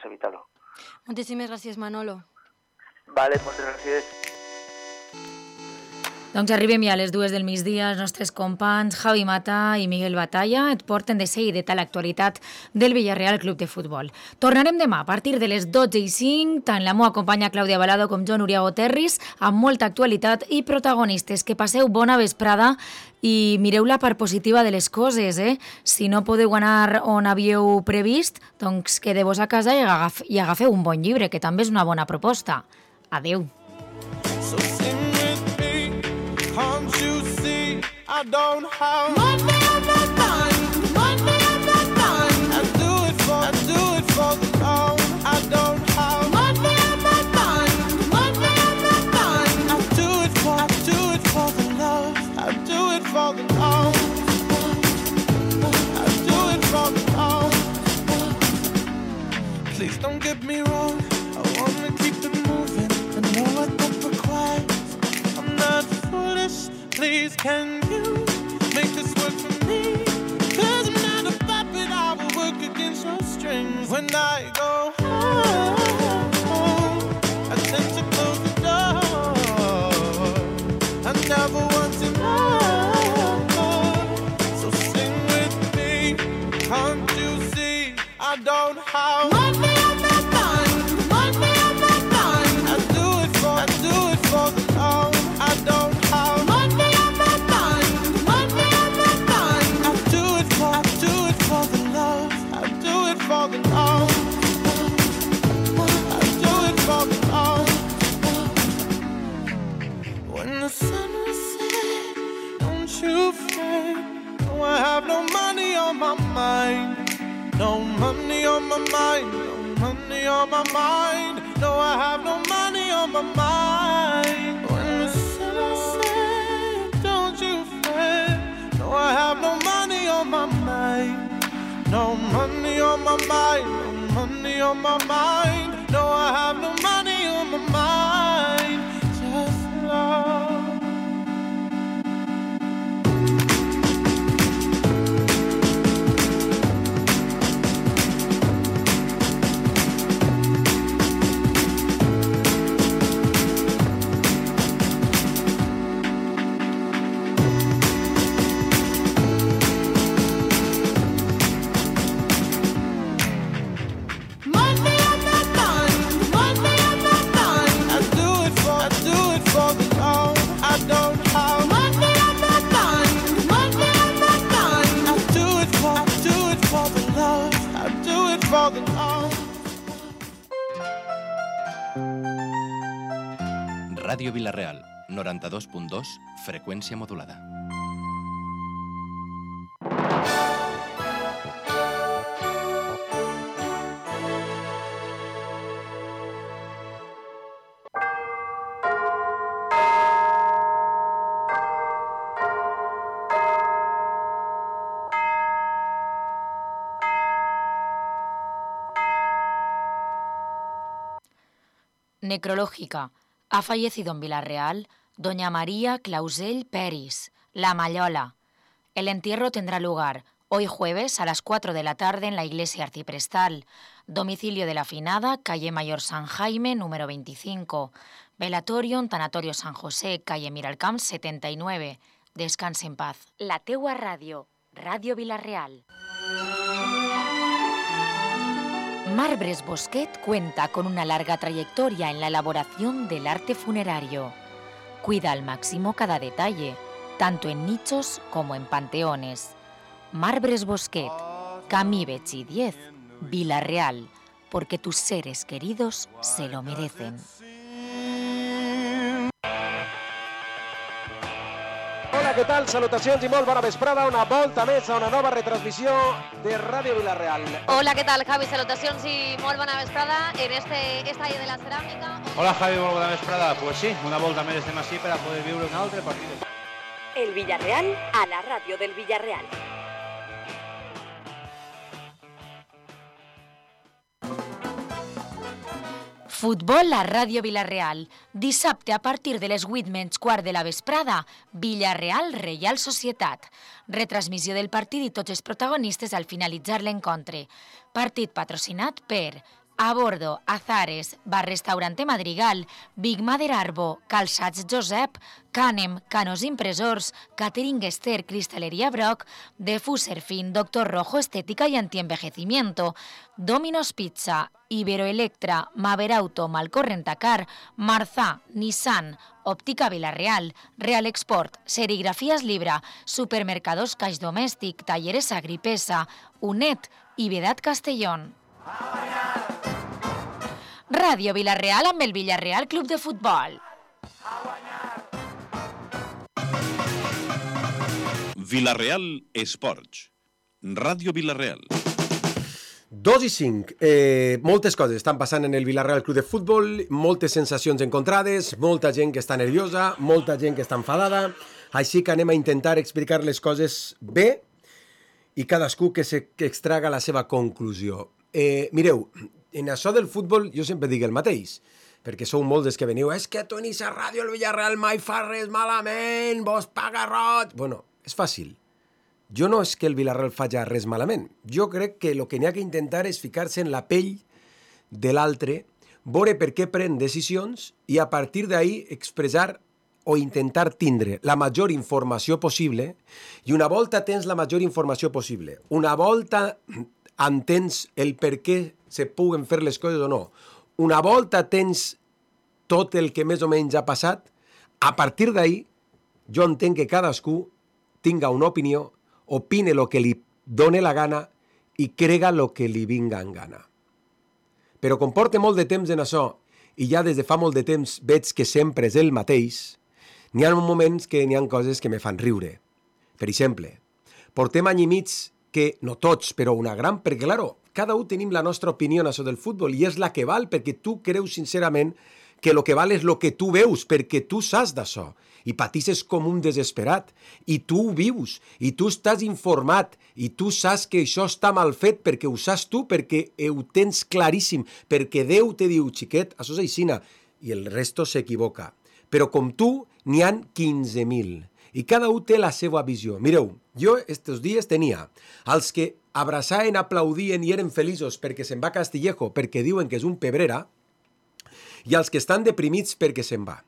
evitar-ho. Moltíssimes gràcies, Manolo. Vale, moltes gràcies. Doncs arribem ja a les 2 del migdia. Els nostres companys Javi Mata i Miguel Batalla et porten de seguida a l'actualitat del Villarreal Club de Futbol. Tornarem demà a partir de les 12:05, tant la meva companya Clàudia Balado com jo, Núria Goterris, amb molta actualitat i protagonistes. Que passeu bona vesprada i mireu la part positiva de les coses, eh? Si no podeu anar on havíeu previst, doncs quedeu-vos a casa i agafeu un bon llibre, que també és una bona proposta. Adeu. Can't you see I don't have money on my mind, money on my mind. I do it for the love. I don't have money on my mind, money on my mind. I do it for the love. I do it for the love. I do it for the love. Please don't get me wrong. I wanna keep it moving. I know what that requires. I'm not foolish. Please, can you make this work for me? 'Cause I'm not a puppet, I will work against your strings. When I go home, I tend to close the door. I never want to know. So sing with me, can't you see I don't have money on my mind, money on my mind. I do it for the love. I don't have money on my mind, money on my mind. I do it for the love. I do it for the love. I do it for the love. When the sun will set, don't you fret. No, I have no money on my mind. No money on my mind. No money on my mind. No, I have no money on my mind. When the sun will set, don't you fret. No, I have no money on my mind. No money on my mind. No money on my mind. No, I have no money on my mind. Just love. Ràdio Vila-real, 92.2, freqüència modulada. Necrológica. Ha fallecido en Villarreal doña María Clausell Peris, La Mallola. El entierro tendrá lugar hoy jueves a las 4 de la tarde en la iglesia arciprestal. Domicilio de la finada, calle Mayor San Jaime, número 25. Velatorio en Tanatorio San José, calle Miralcamp 79. Descanse en paz. La teua ràdio, Ràdio Villarreal. Marbres Bosquet cuenta con una larga trayectoria en la elaboración del arte funerario. Cuida al máximo cada detalle, tanto en nichos como en panteones. Marbres Bosquet, Camí Betxí 10, Villarreal, porque tus seres queridos se lo merecen. Hola, què tal? Salutacions i molt bona vesprada. Una volta més a una nova retransmissió de Ràdio Vila-real. Hola, què tal, Javi? Salutacions i molt bona vesprada en este estadio de la ceràmica. Hola, Javi, molt bona vesprada. Pues sí, una volta més estem així per a poder viure un altre partit. El Villarreal a la ràdio del Villarreal. Futbol a Ràdio Villarreal. Dissabte a partir de les 8:15 de la vesprada, Villarreal Reial Societat. Retransmissió del partit i tots els protagonistes al finalitzar l'encontre. Partit patrocinat per A Bordo, Azares, Bar Restaurante Madrigal, Big Mother Arbo, Calçats Josep, Canem, Canos Impresors, Catering Esther, Cristalería Brock, Defuser Fin, Doctor Rojo Estética y Antienvejecimiento, Domino's Pizza, Iberoelectra, Maver Auto, Malcorrentacar, Marzà, Nissan, Óptica Villarreal, Real Export, Serigrafías Libra, Supermercados Caix Domèstic, Talleres Agripesa, UNED i Vedat Castellón. Ràdio Vila-real amb el Villarreal Club de Futbol. Vila-real Esports. Ràdio Vila-real. 2:05. Moltes coses estan passant en el Villarreal Club de Futbol, moltes sensacions encontrades, molta gent que està nerviosa, molta gent que està enfadada, així que anem a intentar explicar les coses bé i cadascú que extraga la seva conclusió. Mireu, en això del futbol jo sempre dic el mateix, perquè sou molts dels que veniu, és que tu en aquesta ràdio el Villarreal mai fa res malament, vos paga roig. Bueno, és fàcil. Jo no és que el Villarreal faci res malament. Jo crec que el que n'hi ha que intentar és ficar-se en la pell de l'altre, veure per què pren decisions i a partir d'ahí expressar o intentar tindre la major informació possible, i una volta tens la major informació possible, una volta entens el per què se puguen fer les coses o no, una volta tens tot el que més o menys ha passat, a partir d'ahí jo entenc que cadascú tinga una opinió, opine el que li doni la gana i crega el que li vinga en gana. Però com porta molt de temps en això i ja des de fa molt de temps veig que sempre és el mateix, n'hi ha moments que n'hi ha coses que me fan riure. Per exemple, portem any i mig que, no tots, però una gran, perquè, claro, cada un tenim la nostra opinió en això del futbol i és la que val, perquè tu creus sincerament que el que val és el que tu veus, perquè tu saps d'això i patisses com un desesperat i tu ho vius i tu estàs informat i tu saps que això està mal fet perquè ho saps tu, perquè ho tens claríssim, perquè Déu te diu, xiquet, això és aixina, i el resto s'equivoca. Però com tu, n'hi han 15.000 i cada un té la seva visió. Mireu, jo estos dies tenia els que abraçaven, aplaudien i eren feliços perquè se'n va a Castillejo, perquè diuen que és un pebrera, i els que estan deprimits perquè se'n va.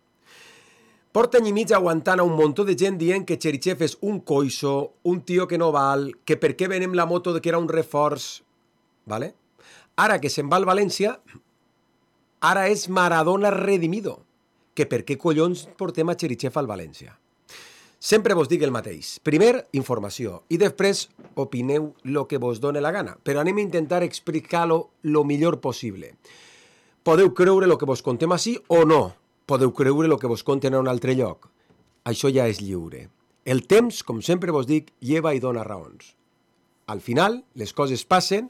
Porta any i mig aguantant a un muntó de gent dient que Cherichev és un coixo, un tio que no val, que per què venem la moto que era un reforç, ¿vale? Ara que se'n va al València, ara és Maradona redimido, que per què collons portem a Cherichev al València? Sempre vos dic el mateix. Primer, informació, i després opineu el que vos doni la gana, però anem a intentar explicar-lo lo millor possible. Podeu creure el que vos contem així o no. Podeu creure el que vos conten a un altre lloc. Això ja és lliure. El temps, com sempre vos dic, lleva i dona raons. Al final, les coses passen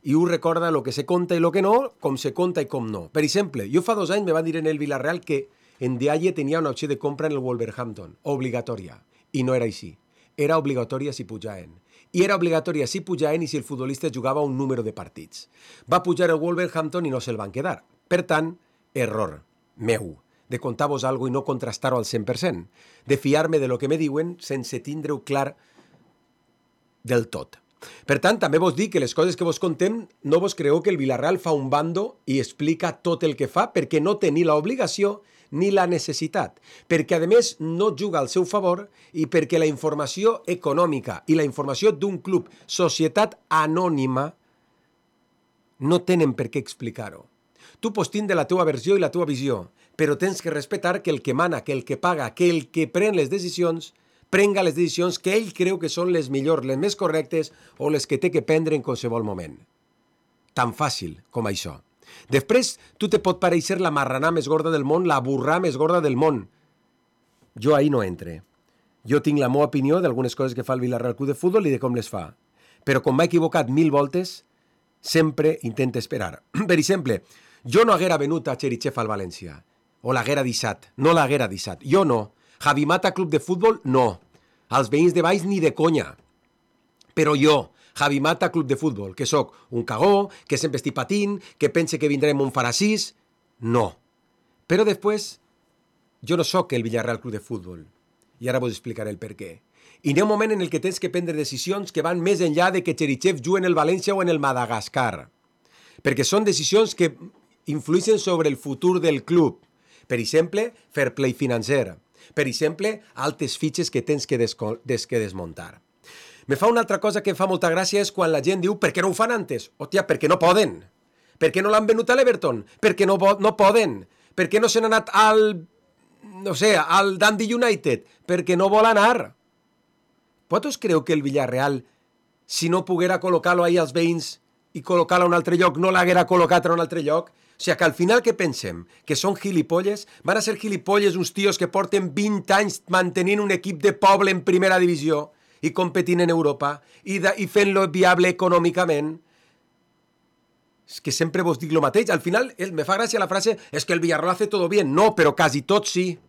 i un recorda el que se conta i el que no, com se conta i com no. Per exemple, jo fa 2 anys me van dir en el Villarreal que en Dialle tenia una opció de compra en el Wolverhampton, obligatòria, i no era així. Era obligatòria si pujaven. I era obligatòria si pujaven i si el futbolista jugava un número de partits. Va pujar el Wolverhampton i no se'l van quedar. Per tant, error meu, de contar-vos alguna cosa i no contrastar-ho al 100%, de fiar-me de lo que me diuen sense tindre-ho clar del tot. Per tant, també vos dic que les coses que vos contem no vos creeu que el Villarreal fa un bando i explica tot el que fa perquè no té ni l'obligació ni la necessitat, perquè a més no juga al seu favor i perquè la informació econòmica i la informació d'un club, societat anònima, no tenen per què explicar-ho. Tu pots tindre la teva versió i la teva visió, però tens que respectar que el que mana, que el que paga, que el que pren les decisions, prenga les decisions que ell creu que són les millors, les més correctes o les que té que prendre en qualsevol moment. Tan fàcil com això. Després, tu te pot pareixer la marranà més gorda del món, la burrà més gorda del món. Jo ahí no entre. Jo tinc la meva opinió d'algunes coses que fa el Villarreal Club de Futbol i de com les fa. Però com m'ha equivocat 1000 voltes, sempre intento esperar. Per exemple, jo no haguera venut a Cherichev al València. O l'haguera deixat. No l'haguera deixat. Jo no. Javi Mata Club de Futbol, no. Els veïns de baix ni de conya. Però jo, Javi Mata Club de Futbol, que sóc un cagó, que sempre estic patint, que pense que vindrem un faracís, no. Però després, jo no sóc el Villarreal Club de Futbol. I ara vos explicaré el per què. I hi ha un moment en el que tens que prendre decisions que van més enllà de que Cherichev jugui en el València o en el Madagascar. perquè són decisions que influeixen sobre el futur del club. Per exemple, fair play financer. Per exemple, altes fitxes que tens que desmuntar. Me fa una altra cosa que em fa molta gràcia és quan la gent diu per què no ho fan antes? Hòstia, perquè no poden. Per què no l'han venut a l'Everton? Perquè no poden. Per què no se n'ha anat al Dundee United? Perquè no vol anar. Vosaltres creu que el Villarreal, si no poguera col·locar-lo ahir als veïns i col·locar-lo a un altre lloc, no l'haguera col·locat a un altre lloc? O sigui, que al final què pensem? Que són gilipolles? Van a ser gilipolles uns tios que porten 20 anys mantenint un equip de poble en primera divisió i competint en Europa i fent-lo viable econòmicament? És que sempre vos dic el mateix. Al final me fa gràcia la frase és que el Villarreal hace todo bien. No, però quasi tot sí.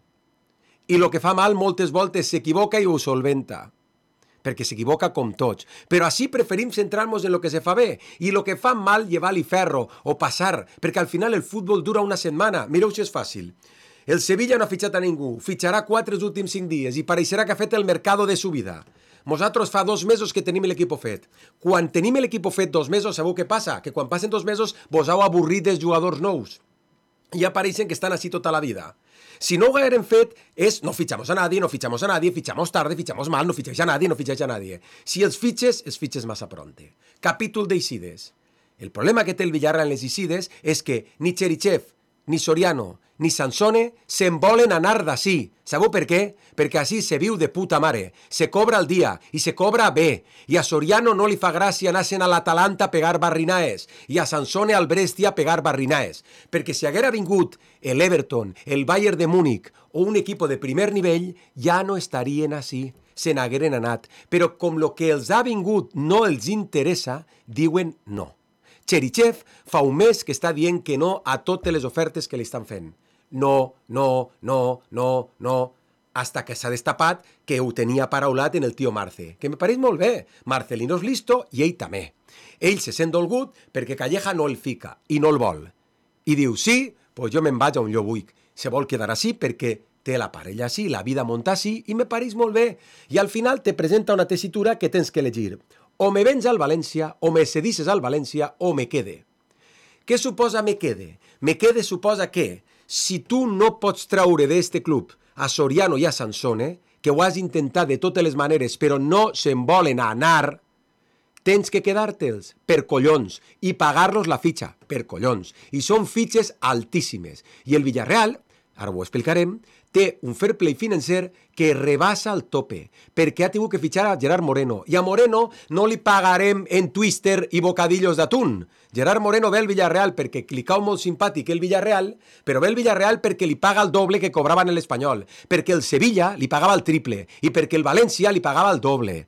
I el que fa mal moltes voltes s'equivoca i ho solventa. Perquè s'equivoca com tots. Però així preferim centrar-nos en el que se fa bé. I el que fa mal, llevar-li ferro o passar. Perquè al final el futbol dura una setmana. Mireu si és fàcil. El Sevilla no ha fitxat a ningú. Fitxarà 4 els últims 5 dies i pareixerà que ha fet el mercado de su vida. Nosaltres fa 2 mesos que tenim l'equip fet. Quan tenim l'equip fet 2 mesos, sabeu què passa? Que quan passen 2 mesos vos heu avorrit dels jugadors nous. I apareixen que estan així tota la vida. Si no ho hagueren fet, no fitxamos a nadie, fitxamos tarde, fitxamos mal, no fitxeix a nadie. Si els fitxes massa pronte. Capítol d'Eixides. El problema que té el Villarreal en les Eixides és que ni Cherichev, ni Soriano, ni Sansone se'n volen anar d'ací. Sabeu per què? Perquè així se viu de puta mare. Se cobra al dia i se cobra bé. I a Soriano no li fa gràcia anar-se'n a l'Atalanta a pegar barrinaes i a Sansone al Brescia a pegar barrinaes. Perquè si haguera vingut l'Everton, el Bayern de Múnich o un equip de primer nivell, ja no estarien així. Se n'hagueren anat. Però com lo que els ha vingut no els interessa, diuen no. Cherichev fa un mes que està dient que no a totes les ofertes que li estan fent. No, hasta que s'ha destapat que ho tenia paraulat en el tio Marce, que me pareix molt bé. Marcelino és listo i ell també. Ell se sent dolgut perquè Calleja no el fica i no el vol. I diu, sí, pues jo me'n vaig on jo vull. Se vol quedar així perquè té la parella així, la vida munta així i me pareix molt bé. I al final te presenta una tessitura que tens que elegir. O me vens al València, o me cedisses al València, o me quede. Què suposa me quede? Me quede suposa que, si tu no pots traure d'este club a Soriano i a Sansone, que ho has intentat de totes les maneres, però no se'n volen anar, tens que quedar-te'ls per collons i pagar-los la fitxa per collons. I són fitxes altíssimes. I el Villarreal, ara ho explicarem, té un fair play financer que rebassa el tope, perquè ha tingut que fitxar a Gerard Moreno. I a Moreno no li pagarem en twister i bocadillos d'atún. Gerard Moreno ve al Villarreal perquè li cau molt simpàtic el Villarreal, però ve al Villarreal perquè li paga el doble que cobraven en l'Espanyol, perquè el Sevilla li pagava el triple i perquè el València li pagava el doble.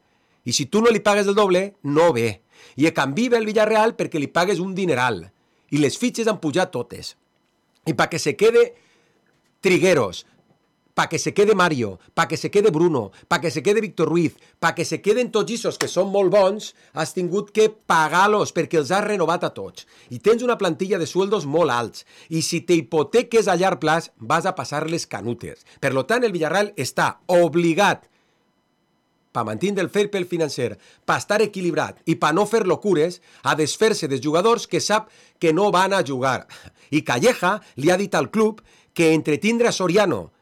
I si tu no li pagues el doble, no ve. I a canvi ve al Villarreal perquè li pagues un dineral. I les fitxes han pujat totes. I perquè se quede Trigueros, para que se quede Mario, para que se quede Bruno, para que se quede Víctor Ruiz, para que se queden tots aquests que són molt bons, has tingut que pagar-los perquè els has renovat a tots. I tens una plantilla de sueldos molt alts. I si te hipoteques a llarg plaç, vas a passar les canutes. Per tant, el Villarreal està obligat, per mantenir el fair play financer, per estar equilibrat i per no fer locures, a desfer-se dels jugadors que sap que no van a jugar. I Calleja li ha dit al club que entretindre a Soriano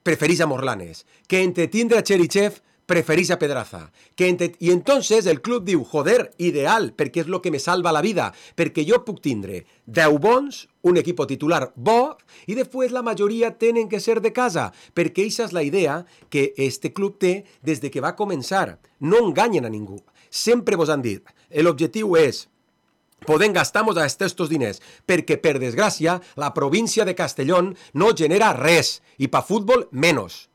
preferís a Morlanes, que entretindre a Cherichev preferís a Pedraza. I entonces el club diu, joder, ideal, perquè és el que me salva la vida, perquè jo puc tindre 10 bons, un equip titular bo, i després la majoria tenen que ser de casa, perquè aquesta és la idea que este club té des de que va començar. No enganyen a ningú. Sempre vos han dit, l'objectiu és podem gastar-nos estos diners, perquè, per desgràcia, la província de Castellón no genera res, i per futbol, menys.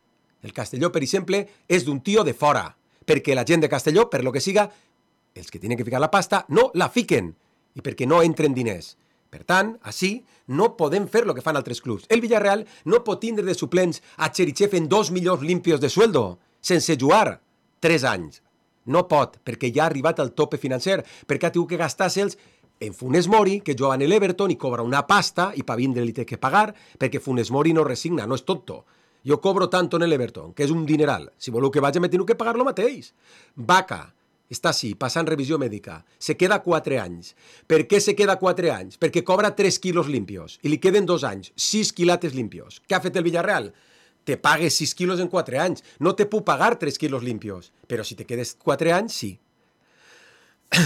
El Castelló, per exemple, és d'un tio de fora, perquè la gent de Castelló, per lo que siga, els que tenen que ficar la pasta, no la fiquen, i perquè no entren diners. Per tant, així, no podem fer el que fan altres clubs. El Villarreal no pot tindre de suplents a Cherichev en 2 milions limpios de sueldo, sense jugar 3 anys. No pot, perquè ja ha arribat al tope financer, perquè ha tingut que gastar-se'ls en Funes Mori, que juga en l'Everton i cobra una pasta i per vindre li té que pagar, perquè Funes Mori no resigna, no és tonto. Jo cobro tanto en l'Everton, que és un dineral. Si voleu que vaig, me teniu que pagar lo mateix. Vaca, està així, passant revisió mèdica, se queda 4 anys. Per què se queda 4 anys? Perquè cobra 3 quilos limpios i li queden 2 anys, 6 quilates limpios. Què ha fet el Villarreal? Te pagues 6 quilos en 4 anys. No te puc pagar 3 quilos limpios, però si te quedes 4 anys, sí.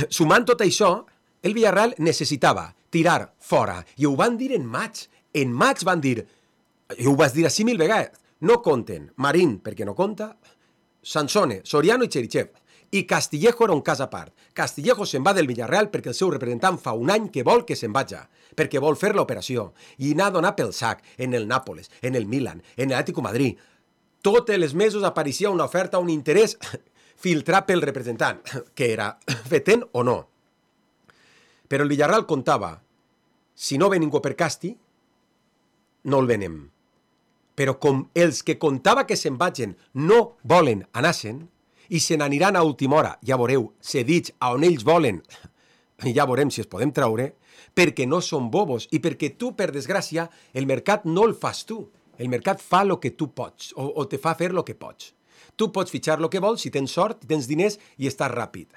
Sumant tot això, el Villarreal necessitava tirar fora, i ho van dir en maig. En maig van dir, i ho vas dir així 1000 vegades, no compten Marín, perquè no compta, Sansone, Soriano i Cherichev. I Castillejo era un cas a part. Castillejo se'n va del Villarreal perquè el seu representant fa un any que vol que se'n vaja, perquè vol fer l'operació, i n'ha donat pel sac en el Nàpoles, en el Milan, en l'Atlético Madrid. Tots els mesos apareixia una oferta, un interès filtrat pel representant, que era fetent o no. Però el Villarreal comptava, si no ve ningú per Casti, no el venem. Però com els que comptava que se'n vagin no volen anar-se'n, i se n'aniran a última hora, ja veureu, cedits a on ells volen, ja veurem si es podem traure, perquè no són bobos i perquè tu, per desgràcia, el mercat no el fas tu. El mercat fa el que tu pots, o te fa fer el que pots. Tu pots fitxar el que vols si tens sort, tens diners i estàs ràpid.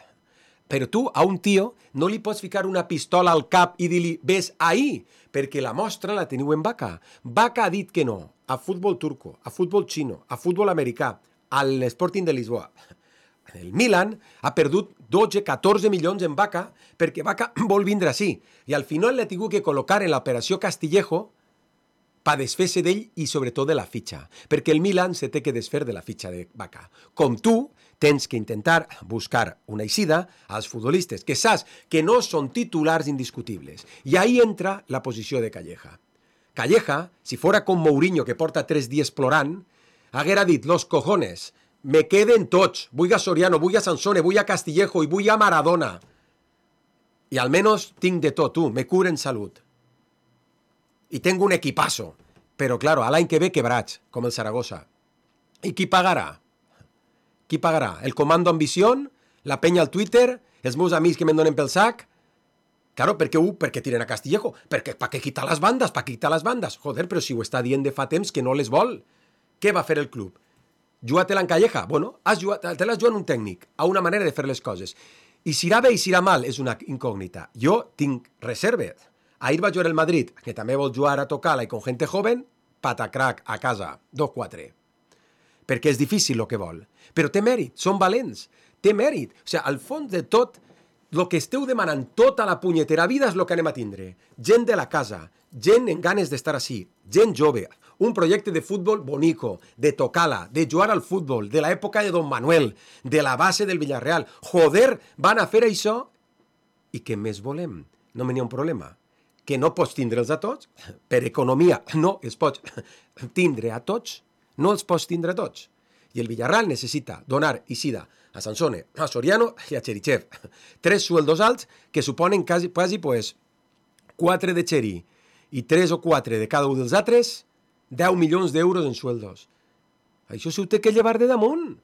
Però tu, a un tio, no li pots ficar una pistola al cap i dir-li, ves ahí, perquè la mostra la teniu en Vaca. Vaca ha dit que no a futbol turco, a futbol xino, a futbol americà, a l'Sporting de Lisboa. El Milan ha perdut 12-14 milions en Vaca perquè Vaca vol vindre així. I al final l'ha tingut que col·locar en l'operació Castillejo per desfer-se d'ell i sobretot de la fitxa. Perquè el Milan se té que desfer de la fitxa de Vaca. Com tu, tens que intentar buscar una eixida als futbolistes que saps que no són titulars indiscutibles. I ahí entra la posició de Calleja. Calleja, si fora com Mourinho, que porta 3 dies plorant, haguera dit, los cojones, me queden tots, vull a Soriano, vull a Sansone, vull a Castillejo i vull a Maradona. I almenys tinc de tot, tu, me curo en salut. I tenc un equipazo. Però, claro, a l'any que ve quebrats, com el Zaragoza. I qui pagarà? Qui pagarà? El comando Ambición? La penya al Twitter? Els meus amics que me'n donen pel sac? Claro, perquè tiren a Castillejo? Per què quitar les bandes? Per quitar les bandes? Joder, però si ho està dient de fa temps que no les vol. Què va fer el club? Jugar-te-la en Calleja? Bueno, te l'has jugat un tècnic, a una manera de fer les coses. I si irà bé i si irà mal és una incògnita. Jo tinc reserves. Ahir va jugar el Madrid, que també vol jugar a tocar-la i con gente joven, patacrac, a casa, 2-4. Perquè és difícil el que vol. Però té mèrit, són valents, té mèrit. O sigui, al fons de tot, el que esteu demanant tota la punyetera vida és el que anem a tindre. Gent de la casa, gent amb ganes d'estar així, gent jove, un projecte de futbol bonico, de tocar-la, de jugar al futbol, de l'època de Don Manuel, de la base del Villarreal. Joder, van a fer això? I què més volem? No n'hi ha un problema. Que no pots tindre'ls a tots? Per economia no els pots tindre a tots, no els pots tindre a tots. I el Villarreal necessita donar eixida a Sansone, a Soriano i a Cherichev. 3 sueldos alts que suponen quasi pues, 4 de Cheri i 3 o 4 de cada un dels altres, 10 milions d'euros en sueldos. Això s'ho té que llevar de damunt.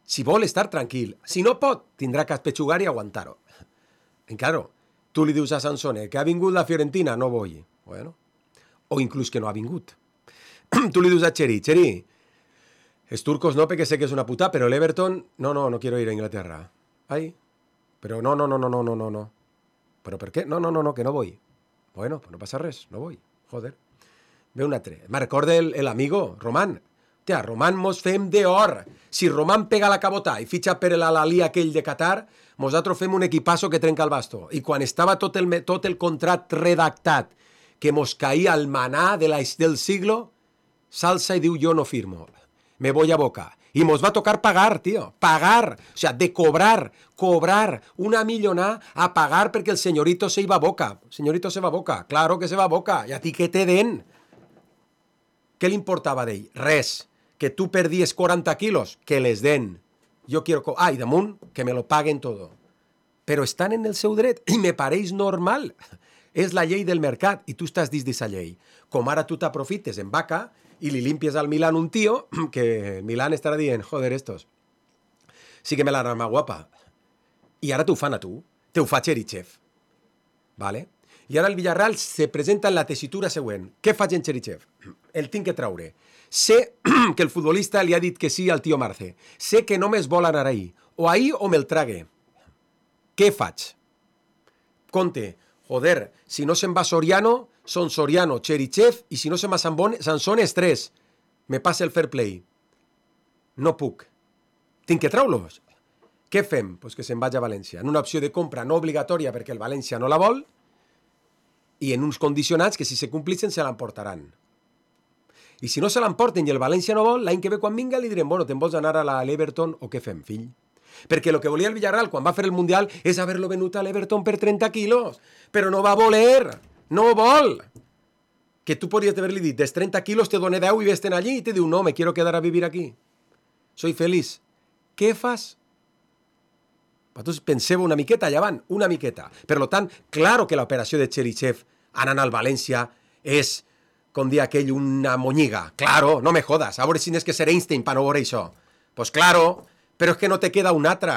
Si vol estar tranquil. Si no pot, tindrà que espetxugar i aguantar-ho. En claro, tu li dius a Sansone que ha vingut la Fiorentina, no vull. Bueno, o inclús que no ha vingut. Tu li dius a Cheri, els turcos no, perquè sé que és una puta, però l'Everton, no quiero ir a Inglaterra. Ai, però no. ¿Però per què? No, que no vull. Bueno, pues no passa res, no vull. Joder. Ve un altre. Me recorda el amigo, Román. Hòstia, Román mos fem d'or. Si Román pega la cabota i fitxa per l'Alí aquell de Qatar, nosaltres fem un equipasso que trenca el basto. I quan estava tot el contrat redactat, que mos caïa el manà del siglo, s'alça i diu, jo no firmo. Me voy a Boca. Y nos va a tocar pagar, tío. Pagar. O sea, de cobrar una millonada a pagar porque el señorito se iba a Boca. El señorito se va a Boca. Claro que se va a Boca. ¿Y a ti qué te den? ¿Qué le importava d'ell? Res. Que tu perdies 40 quilos, que les den. Jo quiero... y damunt, que me lo paguen todo. Però estan en el seu dret i me pareix normal. És la llei del mercat i tu estàs dins d'aquesta llei. Com ara tu t'aprofites en Vaca i li limpies al Milan un tío que Milan estarà dient, joder, estos, sí que me la rama guapa. I ara t'ho fan a tu. Te ho fa Cherichev. Vale? I ara el Villarreal se presenta en la tessitura següent. Què faig en Cherichev? El tinc que traure. Sé que el futbolista li ha dit que sí al tio Marce. Sé que només vol anar ahí. o ahir o me'l trague. Què faig? Compte, joder, si no se'n va Soriano, són Soriano, Cherichev, i si no se'n va Sansone, és 3. Me passa el fair play. No puc. Tinc que treure-los. Què fem? Pues que se'n vagi a València. En una opció de compra no obligatòria perquè el València no la vol i en uns condicionats que si se complixen se l'emportaran. I si no se l'emporten i el València no vol, l'any que ve quan vinga li direm, bueno, te'n vols anar a l'Everton o què fem, fill? Perquè el que volia el Villarreal quan va fer el Mundial és haver-lo venut a l'Everton per 30 quilos. Però no va voler. No vol. Que tu podries haver-li dit, des 30 quilos te doné 10 i vés-te'n allí. I te diu, no, me quiero quedar a vivir aquí. Soy feliz. Què fas? Vosaltres penseu una miqueta, allà van, una miqueta. Per tant, claro que l'operació de Cherichev anant al València és, com dir aquell, una monyiga. Claro, no me jodas. A veure si n'és que ser Einstein per no veure això. Pues claro, però és que no te queda un altre.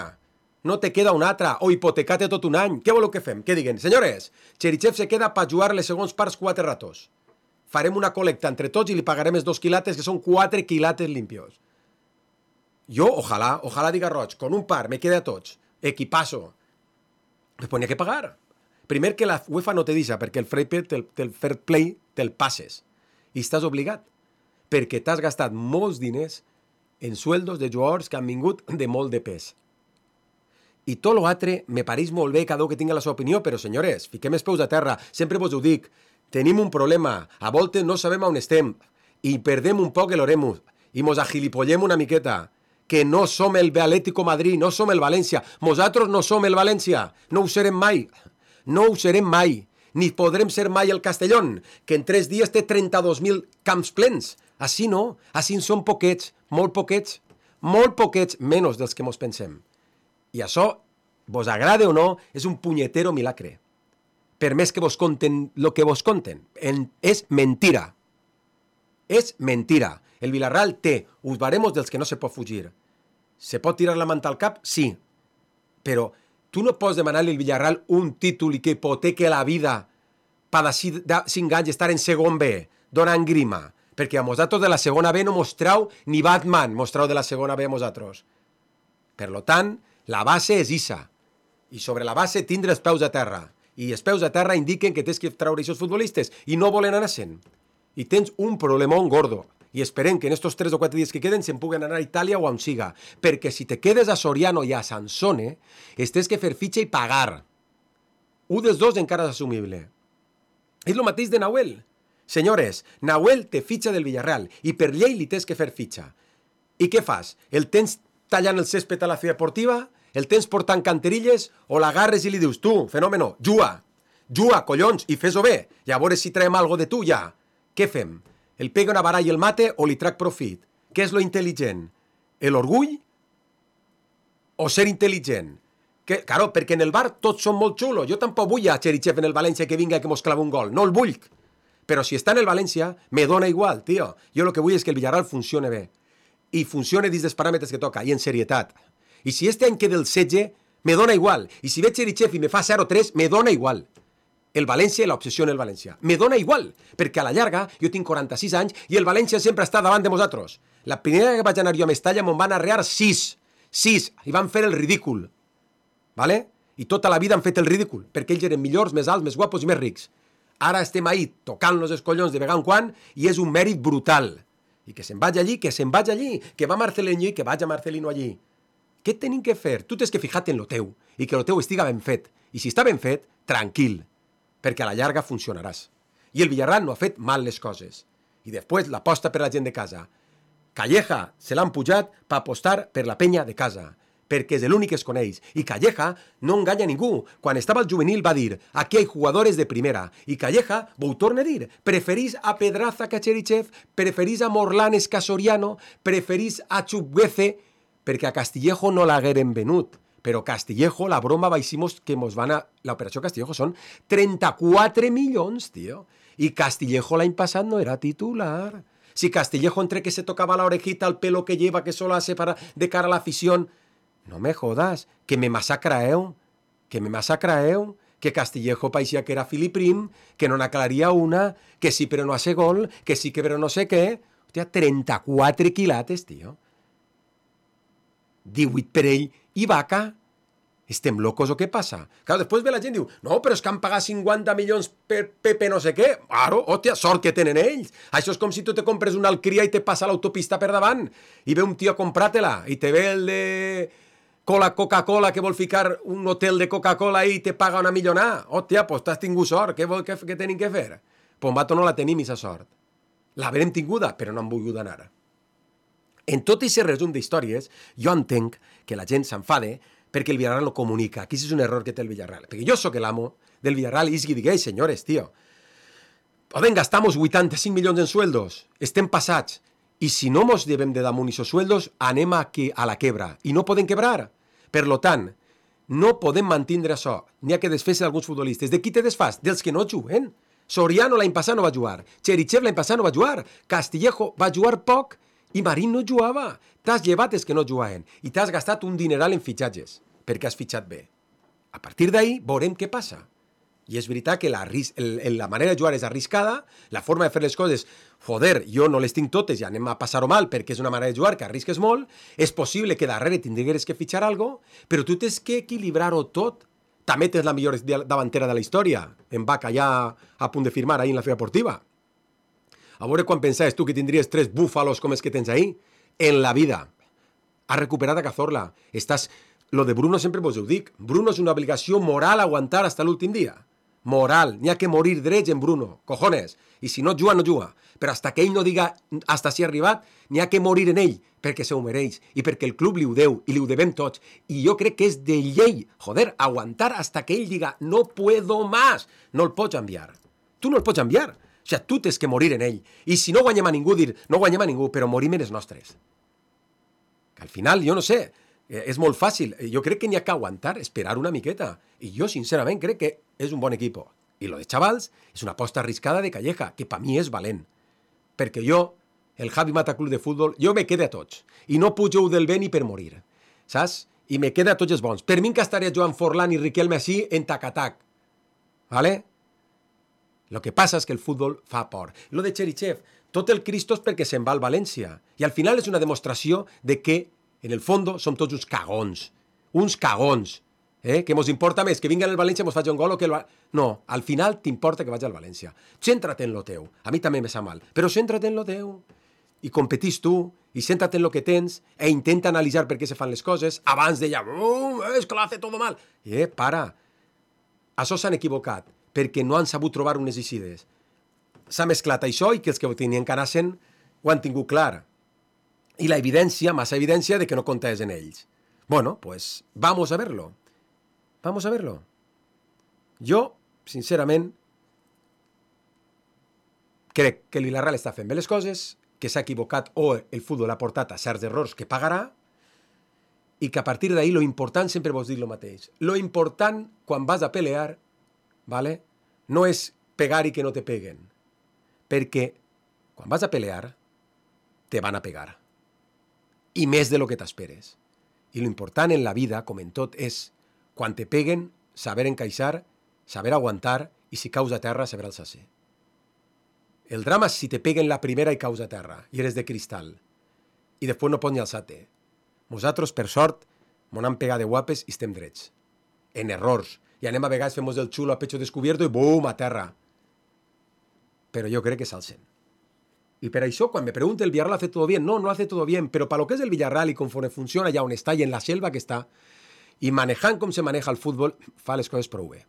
No te queda un altre. O hipotecate tot un any. Què voleu que fem? Què diguen? Senyores, Cherichev se queda per jugar les segons parts 4 ratos. Farem una col·lecta entre tots i li pagarem els 2 quilates, que són 4 quilates limpios. Jo, ojalà diga Roig, con un par, me queda a tots. Equipazo. Pues n'hi ha que pagar. Primer que la UEFA no te deixa, perquè el fair play te'l passes. I estàs obligat. Perquè t'has gastat molts diners en sueldos de jugadors que han vingut de molt de pes. I tot l'altre me pareix molt bé cada un que tingui la seva opinió, però senyores, fiquem els peus a terra, sempre vos ho dic, tenim un problema, a voltes no sabem on estem, i perdem un poc l'oremus, i mos agilipollem una miqueta, que no som el Atlético Madrid, no som el València, nosaltres no som el València, no ho serem mai, ni podrem ser mai el Castellón, que en 3 dies té 32.000 camps plens. Així no, així són poquets, molt poquets, menys dels que mos pensem. I això, vos agrade o no, és un punyetero milagre. Per més que vos conten el que vos conten. És mentira. És mentira. El Villarreal té uns baremos dels que no se pot fugir. Se pot tirar la manta al cap? Sí. Però tu no pots demanar-li al Villarreal un títol i que hipoteque la vida per d'ací 5 anys estar en segon B, donant grima. Perquè a nosaltres de la segona B no mostrau ni Batman mostrau de la segona B a nosaltres. Per tant, la base és issa. I sobre la base tindre els peus a terra. I els peus a terra indiquen que tens que treure aquests futbolistes i no volen anar sent. I tens un problemón gordo. I esperem que en estos 3 o 4 dies que queden se'n puguen anar a Itàlia o on siga. Perquè si te quedes a Soriano i a Sansone, tens que fer fitxa i pagar. Un dels dos encara és assumible. És el mateix de Nahuel. Senyores, Nahuel té fitxa del Villarreal i per llei li tens que fer fitxa. I què fas? El tens tallant el césped a la Ciutat Deportiva? El tens portant canterilles? O l'agarres i li dius, tu, fenòmeno, juga, collons, i fes-ho bé. I a veure si traiem algo de tu ja. Què fem? El pega una baralla i el mate o li trac profit? Què és lo intel·ligent? L'orgull? O ser intel·ligent? Claro, perquè en el bar tots són molt xulos. Jo tampoc vull a Cherichev en el València que vinga que mos clava un gol. No el vull. Però si està en el València, me dona igual, tio. Jo el que vull és que el Villarreal funcione bé. I funcione dins dels paràmetres que toca, i en serietat. I si este any queda el 16, me dona igual. I si ve Cherichev i me fa 0-3, me dona igual. El València i l'obsessió en el València. Me dona igual, perquè a la llarga jo tinc 46 anys i el València sempre està davant de nosaltres. La primera que vaig anar jo a Mestalla me'n van arrear 6, i van fer el ridícul. Vale? I tota la vida han fet el ridícul, perquè ells eren millors, més alts, més guapos i més rics. Ara estem ahí tocant-nos els collons de vegada en quan i és un mèrit brutal. I que se'n vagi allí, que va Marcelino i que vaig a Marcelino allí. Què tenim que fer? Tu tens que fijar-te en lo teu i que lo teu estiga ben fet. I si està ben fet, tranquil, perquè a la llarga funcionaràs. I el Villarreal no ha fet mal les coses. I després l'aposta per la gent de casa. Calleja se l'han pujat per apostar per la penya de casa, perquè és l'únic que es coneix. I Calleja no enganya ningú. Quan estava al juvenil va dir, aquí hay jugadores de primera. I Calleja, ho torna a dir, preferís a Pedraza que a Cherichev, preferís a Morlanes que a Soriano, preferís a Chukwueze, perquè a Castillejo no l'hagueren venut. Però Castillejo, la broma baiximos que mos van a... L'operació Castillejo són 34 milions, tio. I Castillejo l'any passat no era titular. Si Castillejo entre que se tocaba la orejita, el pelo que lleva, que solo hace para de cara a la afición... No me jodas, que me masacraeu, que Castillejo parecía que era Filiprim, que no n'aclaria una, que sí però no hace gol, que sí que però no sé què. Hòstia, 34 quilates, tio. 18 per ell I Vaca, estem locos o què passa? Clar, després ve la gent i diu, no, però és que han pagat 50 milions per Pepe no sé què. Claro, hòstia, sort que tenen ells. Això és com si tu te compres una alcria i te passa l'autopista per davant i ve un tio a comprar-te-la i te ve el de Coca-Cola que vol ficar un hotel de Coca-Cola i te paga una millonada. Hòstia, pues t'has tingut sort. Què tenim que fer? Pues mato no la tenim, aquesta sort. L'haverem tinguda, però no han volgut anar. En tot aquest resum d'històries, jo entenc que la gent s'enfade perquè el Villarreal no comunica. Aquí és un error que té el Villarreal. Perquè jo sóc l'amo del Villarreal i digués, senyores, tío, poden gastamos 85 milions en sueldos, estem passats, i si no mos llevem de damunt esos sueldos, anem a la quebra, i no podem quebrar. Per lo tant, no podem mantindre això. N'hi ha que desfer-se d'alguns futbolistes. De qui te desfas? Dels que no juguen. Soriano l'any passat no va jugar, Cherichev l'any passat no va jugar, Castillejo va jugar poc i Marín no jugava. T'has llevat els que no jugaven i t'has gastat un dineral en fitxatges perquè has fitxat bé. A partir d'ahí veurem què passa. I és veritat que la manera de jugar és arriscada, la forma de fer les coses, joder, jo no les tinc totes i anem a passar-ho mal perquè és una manera de jugar que arrisques molt, és possible que darrere tindries que fitxar alguna cosa, però tu tens que equilibrar-ho tot. També tens la millor davantera de la història, en Vaca ja a punt de firmar ahir en la Fira Deportiva. A veure quan pensaves tu que tindries 3 búfalos com els que tens ahir? En la vida. Has recuperat a Cazorla. Lo de Bruno sempre vos ho dic. Bruno és una obligació moral aguantar fins l'últim dia. Moral. N'hi ha que morir drets en Bruno. Cojones. I si no juga, no juga. Però hasta que ell no diga hasta si ha arribat, n'hi ha que morir en ell, perquè se ho mereix, i perquè el club li ho deu, i li ho devem tots. I jo crec que és de llei, joder, aguantar hasta que ell diga no puedo más. No el pots enviar. Tu no el pots enviar. O sigui, tu tens que morir en ell. I si no guanyem a ningú, dir no guanyem a ningú, però morim en els nostres. Que al final, jo no sé, és molt fàcil. Jo crec que n'hi ha que aguantar, esperar una miqueta. I jo, sincerament, crec que és un bon equip. I lo de Chavals és una aposta arriscada de Calleja, que per mi és valent. Perquè jo, el Javi Mata Club de Futbol, jo me quede a tots. I no pujo del bé ni per morir. Saps? I me quede a tots els bons. Per mi que estaria Joan Forlán i Riquelme així en tac-a-tac. ¿Vale? Lo que passa és que el futbol fa por. Lo de Cherichev, tot el Cristo és perquè se'n va al València. I al final és una demostració de que, en el fons, som tots uns cagons. Uns cagons. Que mos importa més que vinga al València i mos faci un gol o que el... No, al final t'importa que vagi al València. Céntrate en lo teu. A mi també me sap mal. Però céntrate en lo teu. I competís tu, i céntrate en lo que tens, e intenta analitzar per què se fan les coses, abans de ja, és que lo hace todo mal. Para. Això s'han equivocat, perquè no han sabut trobar unes eixides. S'ha mesclat això i que els que ho tenien que anar-se'n ho han tingut clar. I la evidència, massa evidència, de que no comptes en ells. Bueno, pues vamos a verlo. Vamos a verlo. Jo, sincerament, crec que el Villarreal està fent bé les coses, que s'ha equivocat o el futbol ha portat a certs errors que pagarà i que a partir d'ahir lo important, sempre vos dic lo mateix, lo important quan vas a pelear, ¿vale? No és pegar i que no te peguen, perquè quan vas a pelear te van a pegar i més de lo que t'esperes. I lo important en la vida, com en tot, és quan te peguen, saber encaixar, saber aguantar i si caus a terra, saber alçar-se. El drama és si te peguen la primera i caus a terra i eres de cristal i després no pots ni alçar-te. Nosaltres, per sort, m'ho han pegat de guapes i estem drets. En errors. I anem a vegades, fem el xulo a pecho descubierto i bum, a terra. Però jo crec que s'alcen. I per això, quan me pregunta el Villarreal hace todo bien, no hace todo bien, però per lo que és el Villarreal i conforme funciona allà on està i en la selva que està, i manejant com se maneja el futbol, fa les coses prou bé.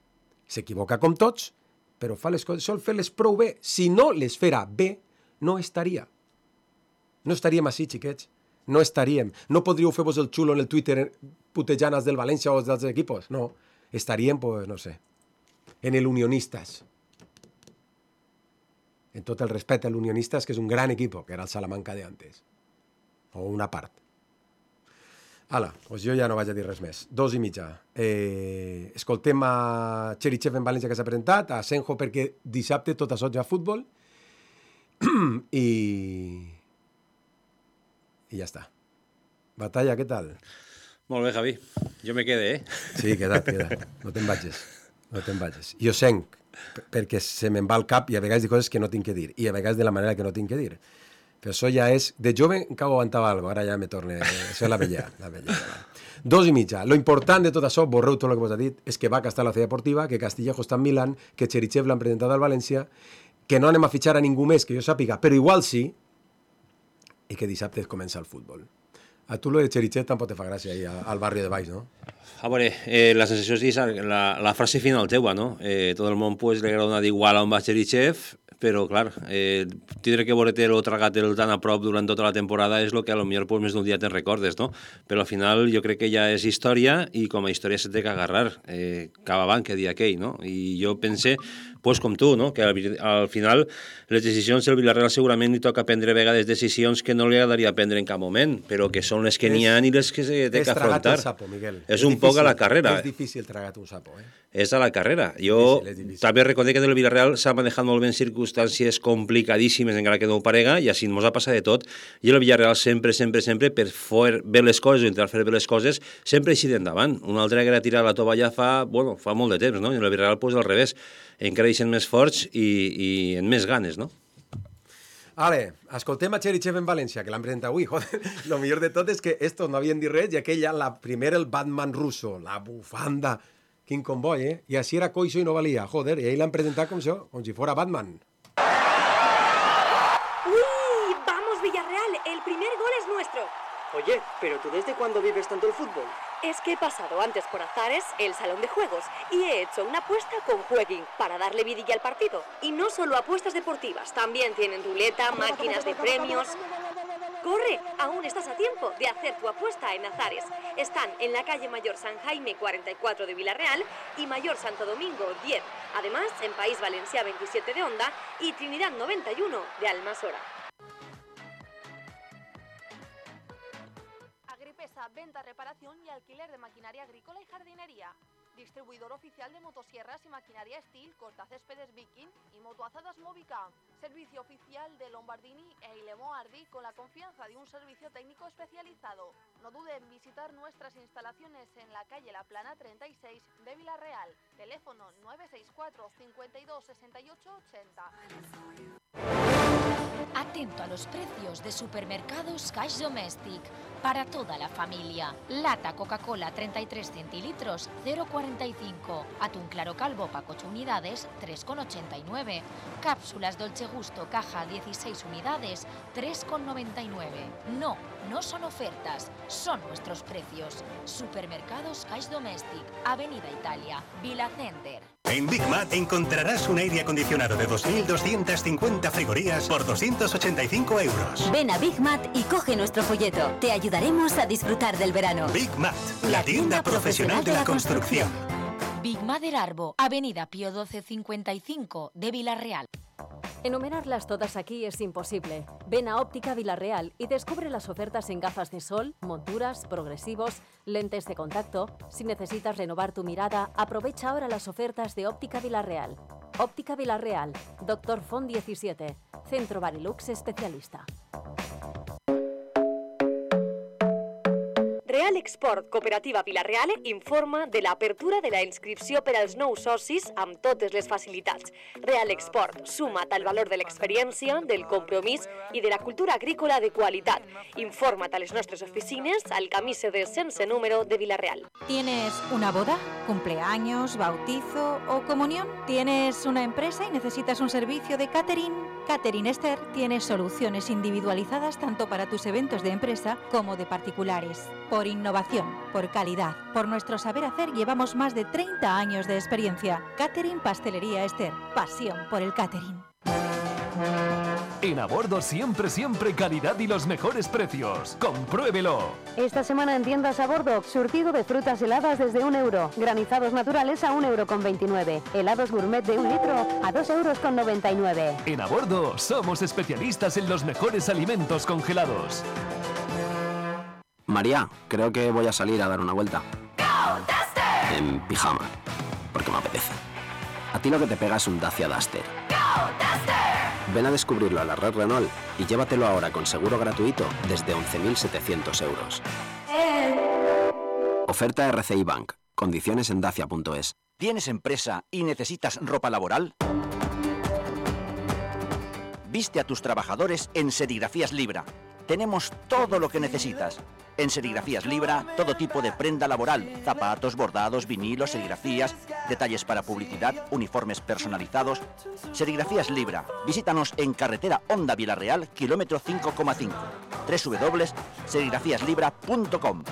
S'equivoca com tots, però fa les coses, sol fer-les prou bé. Si no les fera bé, no estaria. No estaríem així, xiquets. No estaríem. No podríeu fer-vos el xulo en el Twitter putejant els del València o els dels equipos. No. Estaríem, pues, no sé, en el Unionistas. En tot el respecte al Unionistas, que és un gran equip, que era el Salamanca de antes. O una part. Ala, doncs jo ja no vaig a dir res més. 2:30. Escoltem a Cherichev en València que s'ha presentat, a Senjo perquè dissabte tot això ja futbol i ja està. Batalla, què tal? Molt bé, Javi. Jo me quede, Sí, queda't. No te'n vagis. Jo senc, perquè se me'n va al cap i a vegades dic coses que no tinc que dir, i a vegades de la manera que no tinc que dir. Però això ja és... De jove encara aguantava alguna cosa, ara ja me torne... Això és la vella. 2:30. Lo important de tot això, borreu tot el que vos ha dit, és que va a estar la Ciutat Deportiva, que Castillejo està en Milán, que Cherichev l'han presentat al València, que no anem a fitxar a ningú més que jo sàpiga, però igual sí, i que dissabte comença el futbol. A tu lo de Cherichev tampoc te fa gràcia ahí al barri de baix, no? A veure, la sensació és la frase final teua, no? Tot el món pues, li agrada d'igual on va Cherichev, però, clar, tindre que veure-te-lo tragat-te'l tan a prop durant tota la temporada és el que a lo millor pues, més d'un dia te'n recordes, no? Però al final jo crec que ja és història i com a història se té que agarrar cap avant, que dia aquell, no? I jo pense, pues, com tu, no? Que al final les decisions del Villarreal segurament li toca prendre a vegades decisions que no li agradaria prendre en cap moment, però que són les que n'hi ha i les que se té que afrontar. És tragat un sapo, Miguel. És un poc a la carrera. És difícil tragat un sapo, És a la carrera. Jo també reconec que del Villarreal s'ha manejat molt bé en circumstàncies complicadíssimes, encara que no ho parega, i així ens ha passat de tot. I el Villarreal sempre, per fer bé les coses o intentar fer bé les coses, sempre així d'endavant. Una altra que era tirar la tovalla fa molt de temps, no? I el Villarreal, pues, al revés. Encara eixen més forts i en més ganes, no? Ale, escoltem a Cherichev en València, que l'han presentat avui. Joder, lo millor de tot és que estos no havien dit res i aquell ja, la primera, el Batman russo, la bufanda, quin comboi, I així era coixo i no valia, joder, i ell l'han presentat com això, com si fora Batman. ¡Uy! ¡Vamos, Villarreal! El primer gol es nuestro. Oye, ¿pero tú desde cuándo vives tanto el fútbol? Es que he pasado antes por Azares, el salón de juegos, y he hecho una apuesta con Jueguin para darle vidilla al partido. Y no solo apuestas deportivas, también tienen ruleta, máquinas de premios. ¡Corre! Aún estás a tiempo de hacer tu apuesta en Azares. Están en la calle Mayor San Jaime 44 de Villarreal y Mayor Santo Domingo 10. Además, en País Valencia 27 de Onda y Trinidad 91 de Almasora. Agripesa, venta, reparación y alquiler de maquinaria agrícola y jardinería. Distribuidor oficial de motosierras y maquinaria Steel, cortacéspedes Viking y motoazadas Movica. Servicio oficial de Lombardini e Ilemo Ardi con la confianza de un servicio técnico especializado. No dude en visitar nuestras instalaciones en la calle La Plana 36 de Villarreal. Teléfono 964 52 68 80. Atento a los precios de Supermercados Cash Domestic para toda la familia. Lata Coca-Cola 33 centilitros 0,45. Atún claro calvo pack 8 unidades 3,89. Cápsulas Dolce Gusto caja 16 unidades 3,99. No son ofertas, son nuestros precios. Supermercados Cash Domestic, Avenida Italia, Vila Center. En Big Mat encontrarás un aire acondicionado de 2.250 frigorías por 285 euros. Ven a Big Mat y coge nuestro folleto. Te ayudaremos a disfrutar del verano. Big Mat, la tienda profesional de la construcción. Big Mat del Arbo, Avenida Pío 1255 de Villarreal. Enumerarlas todas aquí es imposible. Ven a Óptica Villarreal y descubre las ofertas en gafas de sol, monturas, progresivos, lentes de contacto. Si necesitas renovar tu mirada, aprovecha ahora las ofertas de Óptica Villarreal. Óptica Villarreal, Dr. Font 17, Centro Barilux Especialista. Real Export Cooperativa Villarreal informa de l'apertura de la inscripció per als nous socis amb totes les facilitats. Real Export, suma't al valor de l'experiència, del compromís i de la cultura agrícola de qualitat. Informa't a les nostres oficines al camí CD sense número de Villarreal. ¿Tienes una boda, cumpleaños, bautizo o comunión? ¿Tienes una empresa y necesitas un servicio de catering? Catering Esther tiene soluciones individualizadas tanto para tus eventos de empresa como de particulares. Por innovación, por calidad, por nuestro saber hacer llevamos más de 30 años de experiencia. Catering Pastelería Esther, pasión por el catering. En A Bordo siempre calidad y los mejores precios. ¡Compruébelo! Esta semana en tiendas A Bordo, surtido de frutas heladas desde €1, granizados naturales a €1,29, helados gourmet de 1 litro a €2,99. En A Bordo somos especialistas en los mejores alimentos congelados. María, creo que voy a salir a dar una vuelta. En pijama, porque me apetece. A ti lo que te pega es un Dacia Duster. Ven a descubrirlo a la red Renault y llévatelo ahora con seguro gratuito desde 11.700 euros. Oferta RCI Bank. Condiciones en dacia.es. ¿Tienes empresa y necesitas ropa laboral? Viste a tus trabajadores en Serigrafías Libra. Tenemos todo lo que necesitas. En Serigrafías Libra, todo tipo de prenda laboral, zapatos, bordados, vinilos, serigrafías, detalles para publicidad, uniformes personalizados. Serigrafías Libra. Visítanos en carretera Honda Vilarreal, kilómetro 5,5. www.serigrafíaslibra.com.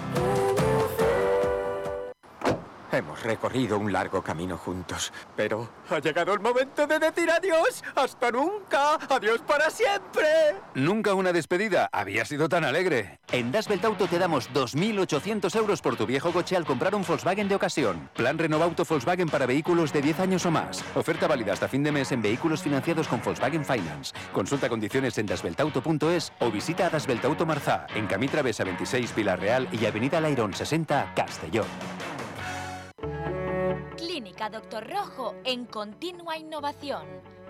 Hemos recorrido un largo camino juntos, pero ha llegado el momento de decir adiós. ¡Hasta nunca! ¡Adiós para siempre! Nunca una despedida había sido tan alegre. En Das Belt Auto te damos 2.800 euros por tu viejo coche al comprar un Volkswagen de ocasión. Plan Renovauto Volkswagen para vehículos de 10 años o más. Oferta válida hasta fin de mes en vehículos financiados con Volkswagen Finance. Consulta condiciones en dasbeltauto.es o visita a Das Belt Auto Marzá, en Camí Travessa 26 Vilarreal y Avenida Lairón 60 Castelló. Clínica Doctor Rojo en continua innovación.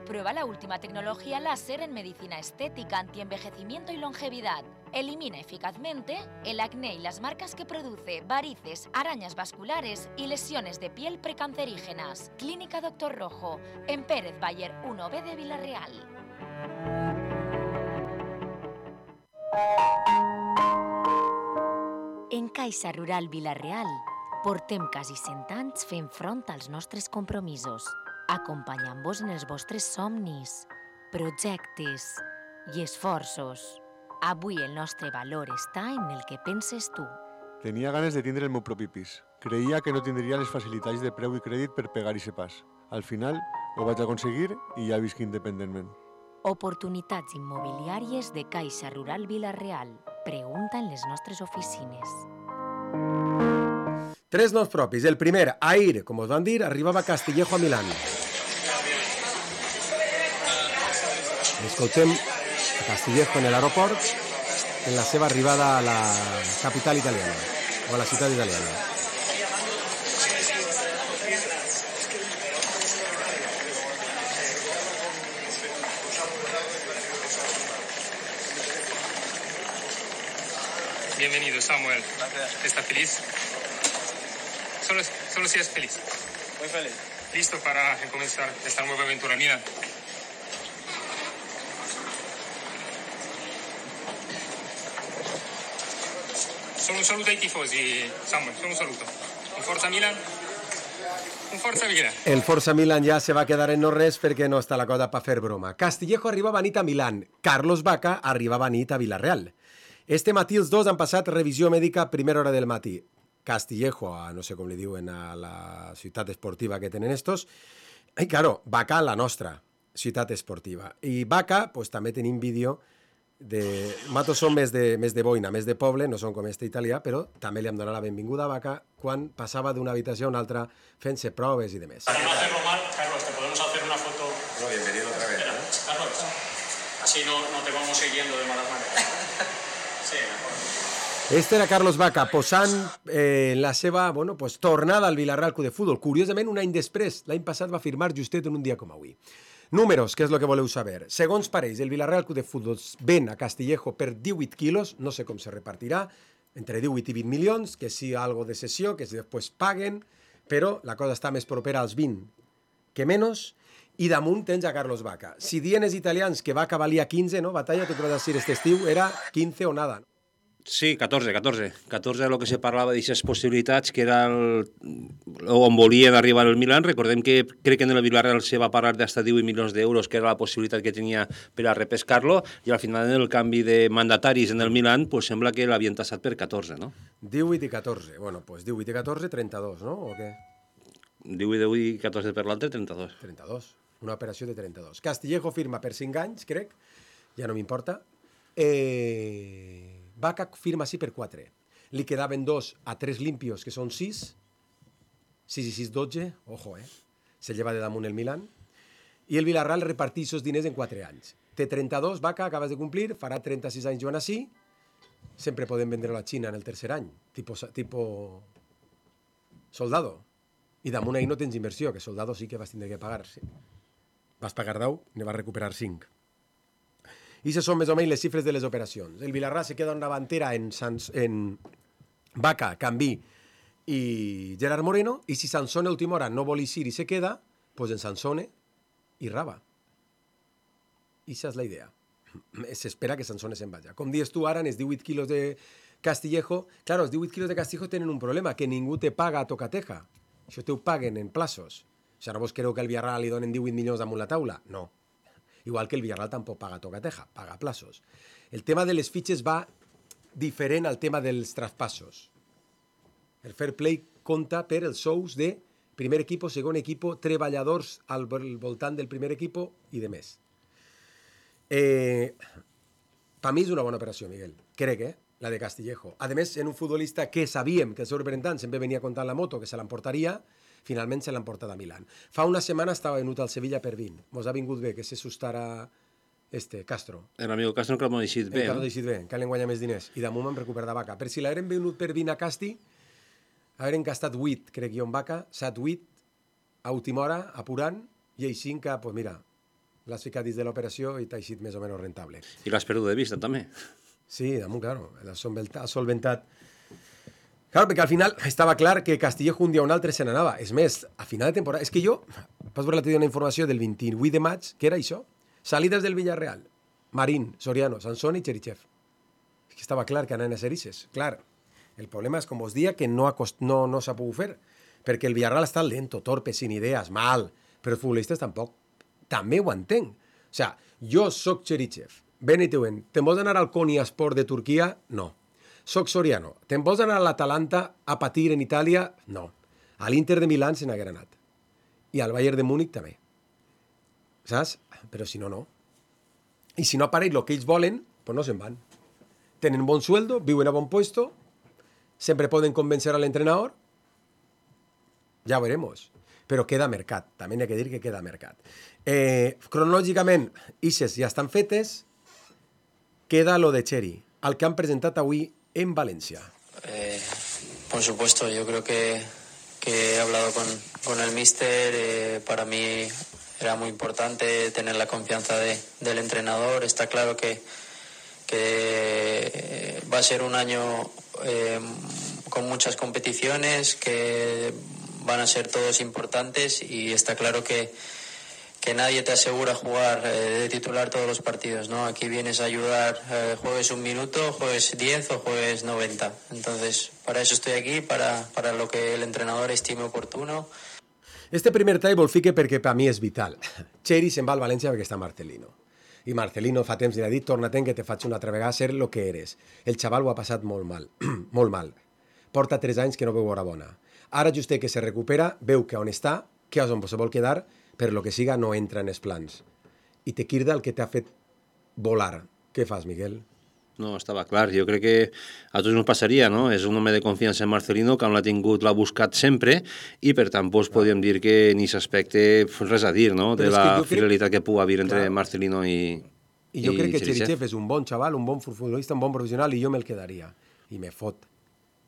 Prueba la última tecnología láser en medicina estética, antienvejecimiento y longevidad. Elimina eficazmente el acné y las marcas que produce, varices, arañas vasculares y lesiones de piel precancerígenas. Clínica Doctor Rojo, en Pérez Bayer 1B de Vilarreal. En Caixa Rural Vilarreal portem quasi 100 anys fent front als nostres compromisos, acompanyant-vos en els vostres somnis, projectes i esforços. Avui el nostre valor està en el que penses tu. Tenia ganes de tindre el meu propi pis. Creia que no tindria les facilitats de preu i crèdit per pegar i pas. Al final ho vaig aconseguir i ja visc independentment. Oportunitats immobiliàries de Caixa Rural Vilarreal. Pregunta en les nostres oficines. 3 noms propis. El primer, Air, com us van dir, arribava a Castillejo a Milán. Escoltem a Castillejo en l'aeroport en la seva arribada a la capital italiana, o a la ciutat italiana. Bienvenido, Samuel. Gracias. ¿Estás feliz? Solo si es feliz. Muy feliz. ¿Listo para comenzar esta nueva aventura mía? Solo un saluto ai tifosi, Samuel, solo un saluto. Un Forza Milan. Un Forza Milan. El Forza Milan ja se va quedar en no res perquè no està la cosa per fer broma. Castillejo arribava a nit a Milán. Carlos Vaca arribava a nit a Vilarreal. Este matí els dos han passat revisió mèdica a primera hora del matí. Castillejo, a no sé com li diuen a la ciutat esportiva que tenen estos, i claro, Vaca a la nostra ciutat esportiva. I Vaca, pues, també tenim vídeo de... Matos són més de boina, més de poble, no són com este italià, però també li hem donat la benvinguda a Vaca quan passava d'una habitació a una altra fent-se proves i demés. Para no hacerlo mal, Carlos, ¿te podemos hacer una foto? Bueno, bienvenido otra vez. Carlos, así no te vamos siguiendo de malas maneras. Sí, mejor. Este era Carlos Vaca, posant en la seva tornada al Vilarreal Club de Futbol. Curiosament, un any després, l'any passat va firmar justet en un dia com avui. Números, que és el que voleu saber. Segons pareix, el Vilarreal Club de Futbol ven a Castillejo per 18 quilos, no sé com se repartirà, entre 18 i 20 milions, que si algo de cessió, que si després paguen, però la cosa està més propera als 20 que menys, i damunt tens a Carlos Vaca. Si dient els italians que Vaca valia 15, no? Batalla, tu podràs dir, este estiu era 15 o nada, no? Sí, 14 de lo que se parlava d'aquestes possibilitats, que era on volien arribar el Milan. Recordem que crec que en el Villarreal se va parlar d'hasta 18 milions d'euros, que era la possibilitat que tenia per a repescar-lo, i al final en el canvi de mandataris en el Milan, pues sembla que l'havien tassat per 14, no? 18 i 14, bueno, pues 18 i 14, 32, no? O què? 18 i 14 per l'altre, 32. 32, una operació de 32. Castillejo firma per 5 anys, crec, ja no m'importa. Vaca firma sí per 4. Li quedaven 2 a 3 limpios, que són 6. 6 i 6, 12. Ojo, se lleva de damunt el Milan. I el Villarreal reparteix els diners en 4 anys. Té 32, Vaca, acabes de complir, farà 36 anys Joan Así. Sempre podem vendre a la Xina en el tercer any, tipo Soldado. I damunt ahí no tens inversió, que Soldado sí que vas tindre que pagar. Sí. Vas pagar 10, ne vas recuperar 5. I aquestes són més o menys les xifres de les operacions. El Vilarreal se queda en davantera en Vaca, Cambí i Gerard Moreno, i si Sansone a última hora no vol eixir i se queda, pues en Sansone i Raba. Ixa és la idea. S'espera que Sansone se'n vagi. Com dius tu ara, en els 18 quilos de Castillejo, claro, els 18 quilos de Castillejo tenen un problema, que ningú te paga a tocateja. Això te ho paguen en plaços. O sigui, no vos creu que al Villarreal li donen 18 milions damunt la taula? No. Igual que el Villarreal tampoc paga a tocateja, paga a plaços. El tema de les fitxes va diferent al tema dels traspassos. El fair play compta per els sous de primer equip, segon equip, treballadors al voltant del primer equip i de més. Per mi és una bona operació, Miguel. Crec, la de Castillejo. A més, en un futbolista que sabíem que el seu representant sempre venia contant la moto, que se l'emportaria, finalment se l'han portat a Milán. Fa una setmana estava venut al Sevilla per 20. Mos ha vingut bé que se sustara Castro. El amigo Castro que l'ha deixit bé. Que l'ha deixit bé, que l'han guanyat més diners. I damunt m'han recuperat de Vaca. Per si l'hagueren venut per 20 a Casti, hagueren gastat 8, crec jo, en Vaca, 7-8, a última hora, apurant, i així que, pues mira, l'has ficat dins de l'operació i t'ha eixit més o menys rentable. I l'has perdut de vista, també. Sí, damunt, claro, l'has solventat. Claro, perquè al final estava clar que Castillejo un dia o un altre se n'anava. És més, a final de temporada... És que jo, vas veure l'altre dia una informació del 28 de maig, que era això. Salides del Villarreal. Marín, Soriano, Sansone i Cherichev. És que estava clar que anaven a ser ixes. Clar, el problema és, com vos dia, que no s'ha pogut fer. Perquè el Villarreal està lento, torpe, sin idees, mal. Però els futbolistes tampoc. També ho entenc. O sigui, jo soc Cherichev. Ben i teuen. Te'n vols anar al Konyaspor de Turquia? No. Soc Soriano. Te'n vols anar a l'Atalanta a patir en Itàlia? No. A l'Inter de Milán se n'haguera anat. I al Bayern de Múnich també. Saps? Però si no, no. I si no apareix el que ells volen, pues no se'n van. Tenen bon sueldo, viuen a bon puesto, sempre poden convencer a l'entrenador. Ja ho veremos. Però queda mercat. També n'hi ha que dir que queda mercat. Cronològicament, ixes ja estan fetes. Queda lo de Cheri, el que han presentat avui en Valencia. Por supuesto, yo creo que he hablado con el míster. Para mí era muy importante tener la confianza del entrenador. Está claro que va a ser un año con muchas competiciones, que van a ser todos importantes, y está claro que nadie te asegura jugar de titular todos los partidos, ¿no? Aquí vienes a ayudar, juegues un minuto, juegues 10 o juegues 90. Entonces, para eso estoy aquí, para lo que el entrenador estime oportuno. Este primer tall vol fique perquè per mi és vital. Cheri se'n va al València perquè està Marcelino. I Marcelino fa temps li ha dit, torna-te'n que te faig una altra vegada ser lo que eres. El xaval ho ha passat molt mal, molt mal. Porta 3 anys que no veu hora bona. Ara just que se recupera, veu que on està, que és on se vol quedar, per lo que siga no entra en els plans. I te quirda el que t'ha fet volar. Què fas, Miguel? No, estava clar. Jo crec que a tots ens passaria, no? És un home de confiança en Marcelino, que l'ha buscat sempre, i per tant podríem dir que en aquest aspecte res a dir, no? De la fidelitat que pugui haver entre Marcelino i jo crec que Cherichev és un bon xaval, un bon futbolista, un bon professional, i jo me'l quedaria. I me fot.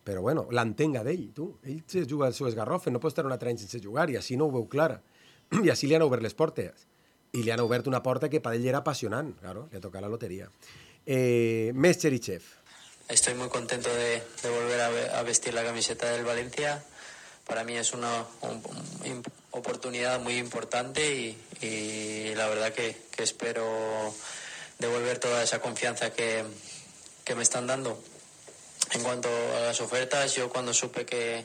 Però bueno, l'entenga d'ell, tu. Ell se juga al seu esgarrofe, no pot estar un altre any sense jugar, i així no ho veu clara. I així li han obert les portes. I li han obert una porta que per ell era apassionant. Claro, le toca la lotería. Més Cherichev. Estoy muy contento de volver a vestir la camiseta del Valencia. Para mí es una oportunidad muy importante y la verdad que espero devolver toda esa confianza que me están dando. En cuanto a las ofertas, yo cuando supe que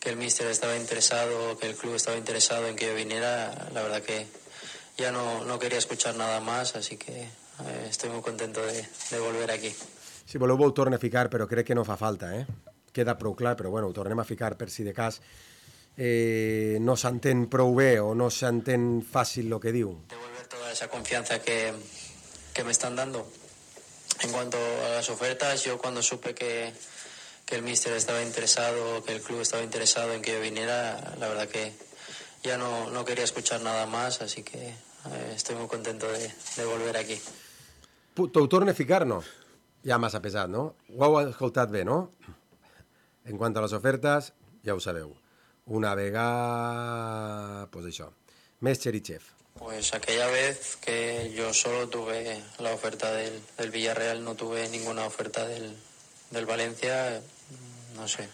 el míster estaba interesado, que el club estaba interesado en que yo viniera, la verdad que ya no quería escuchar nada más, así que estoy muy contento de volver aquí. Si voleu ho torno a ficar, però crec que no fa falta, Queda prou clar, però bueno, ho tornem a ficar per si de cas no s'entén prou bé o no s'entén fàcil el que diu. Devolver toda esa confianza que me están dando. En cuanto a las ofertas, yo cuando supe que el míster estaba interesado, que el club estaba interesado en que yo viniera, la verdad que ya no quería escuchar nada más, así que estoy muy contento de volver aquí. T'ho torno a ficar, no? Ja massa pesat, no? Ho heu escoltat bé, no? En quant a les ofertes, ja ho sabeu. Una vegada... pues això. Més Cherichev. Pues aquella vez que yo solo tuve la oferta del Villarreal, no tuve ninguna oferta del Valencia, no sé.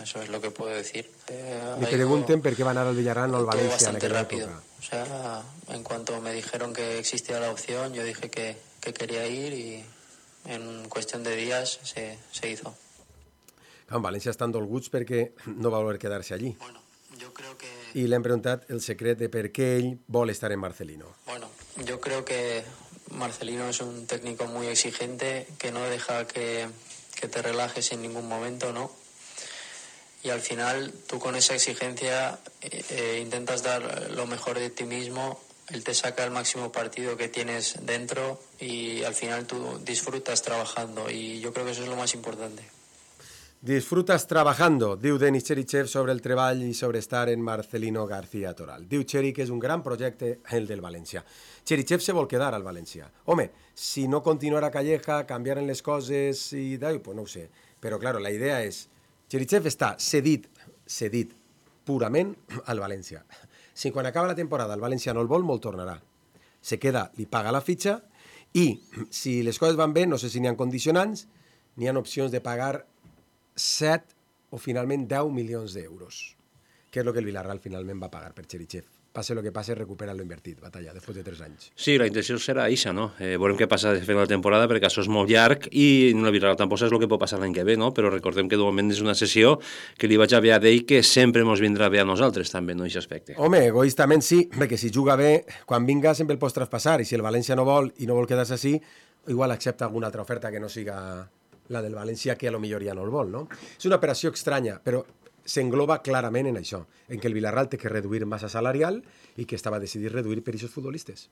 Eso es lo que puedo decir. Me pregunten per què va anar al Villarreal no al València en aquella rápido. època. O sea, en cuanto me dijeron que existía la opción, yo dije que quería ir y en cuestión de días se hizo. En València estan dolguts perquè no va voler quedar-se allí. Bueno, yo creo que... I l'hem preguntat el secret de per què ell vol estar en Marcelino. Bueno, yo creo que Marcelino es un técnico muy exigente que no deja que te relajes en ningún momento, ¿no? Y al final tú con esa exigencia intentas dar lo mejor de ti mismo, él te saca el máximo partido que tienes dentro y al final tú disfrutas trabajando y yo creo que eso es lo más importante. Disfrutas trabajando, diu Denis Cherichev sobre el treball i sobre estar en Marcelino García Toral. Diu Cheri que és un gran projecte el del València. Cherichev se vol quedar al València. Home, si no continuara Calleja, canviaren les coses i d'ahí, pues no ho sé. Però, claro, la idea és... Cherichev està cedit purament al València. Si quan acaba la temporada el València no el vol, molt tornarà. Se queda, li paga la fitxa i, si les coses van bé, no sé si n'hi ha condicionants, n'hi ha opcions de pagar 7 o finalment 10 milions d'euros, que és el que el Villarreal finalment va pagar per Cherichev. Passe el que passe, recupera lo invertit, Batalla, després de 3 anys. Sí, la intenció serà eixa, no? Veurem què passa de final de temporada, perquè això és molt llarg i el Villarreal tampoc és el que pot passar l'any que ve, no? Però recordem que de moment és una sessió que li vaig haver a dir que sempre ens vindrà bé a nosaltres, també, no, en aquest aspecte. Home, egoistament sí, perquè si juga bé, quan vinga sempre el pots traspassar, i si el València no vol i no vol quedar-se així, igual accepta alguna altra oferta que no siga la del València, que a lo millor ja no el vol, no? És una operació estranya, però s'engloba clarament en això, en que el Villarreal té que reduir massa salarial i que estava decidit reduir per aquests futbolistes.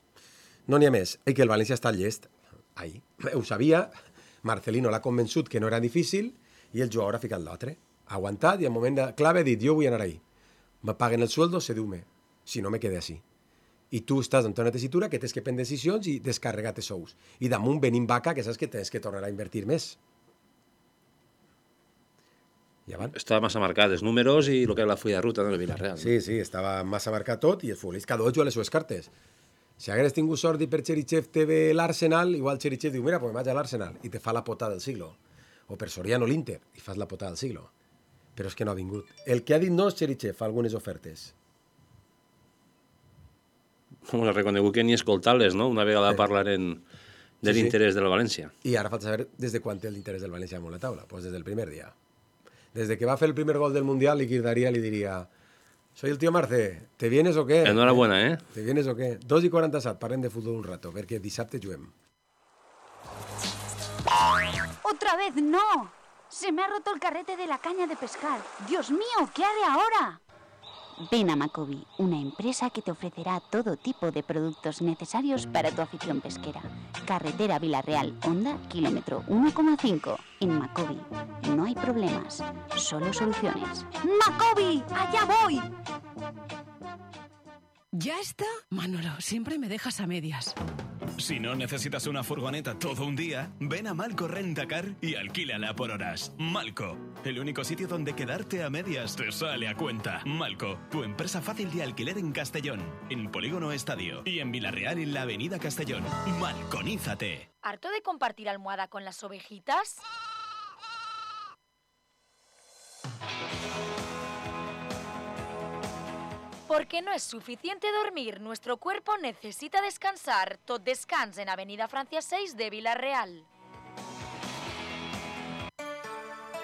No n'hi ha més, i que el València està llest. Ahí. Ho sabia, Marcelino l'ha convençut que no era difícil i el jugador ha ficat l'altre. Ha aguantat i al moment de clave ha dit, jo vull anar ahí. Me paguen el sueldo, sedume. Si no, me quede així. I tu estàs en una tessitura que tens que prendre decisions i descarregar-te sous. I damunt venim vaca, que saps que tens que tornar a invertir més. Estava massa marcat els números i el que era la fulla de ruta del Villarreal. Sí, sí, estava massa marcat tot i el futbolista cada dos juga les seves cartes. Si hagués tingut sort i per Cherichev te ve l'Arsenal, igual Cherichev diu, mira, pues me vaig a l'Arsenal i te fa la potada del siglo. O per Soriano l'Inter i fas la potada del siglo. Però és que no ha vingut. El que ha dit no és Cherichev, fa algunes ofertes. Com l'ha reconegut que ni escoltar-les, no? Una vegada parlaren de l'interès del València. I ara falta saber des de quan té l'interès del València damunt la taula. Pues des del primer dia. Desde que va a hacer el primer gol del Mundial, le diría, soy el tío Marce, ¿te vienes o qué? Enhorabuena, ¿eh? ¿Te vienes o qué? 2:47, parem de fútbol un rato, perquè dissabte juguem. ¡Otra vez no! Se me ha roto el carrete de la caña de pescar. ¡Dios mío, qué haré ahora! Ven a Macobi, una empresa que te ofrecerá todo tipo de productos necesarios para tu afición pesquera. Carretera Villarreal, Honda, kilómetro 1,5. En Macobi no hay problemas, solo soluciones. ¡Macobi! ¡Allá voy! ¿Ya está? Manolo, siempre me dejas a medias. Si no necesitas una furgoneta todo un día, ven a Malco Rentacar y alquílala por horas. Malco, el único sitio donde quedarte a medias te sale a cuenta. Malco, tu empresa fácil de alquiler en Castellón, en Polígono Estadio y en Villarreal en la Avenida Castellón. Malconízate. ¿Harto de compartir almohada con las ovejitas? Porque no es suficiente dormir, nuestro cuerpo necesita descansar. Tot descans en Avenida Francia 6 de Villarreal.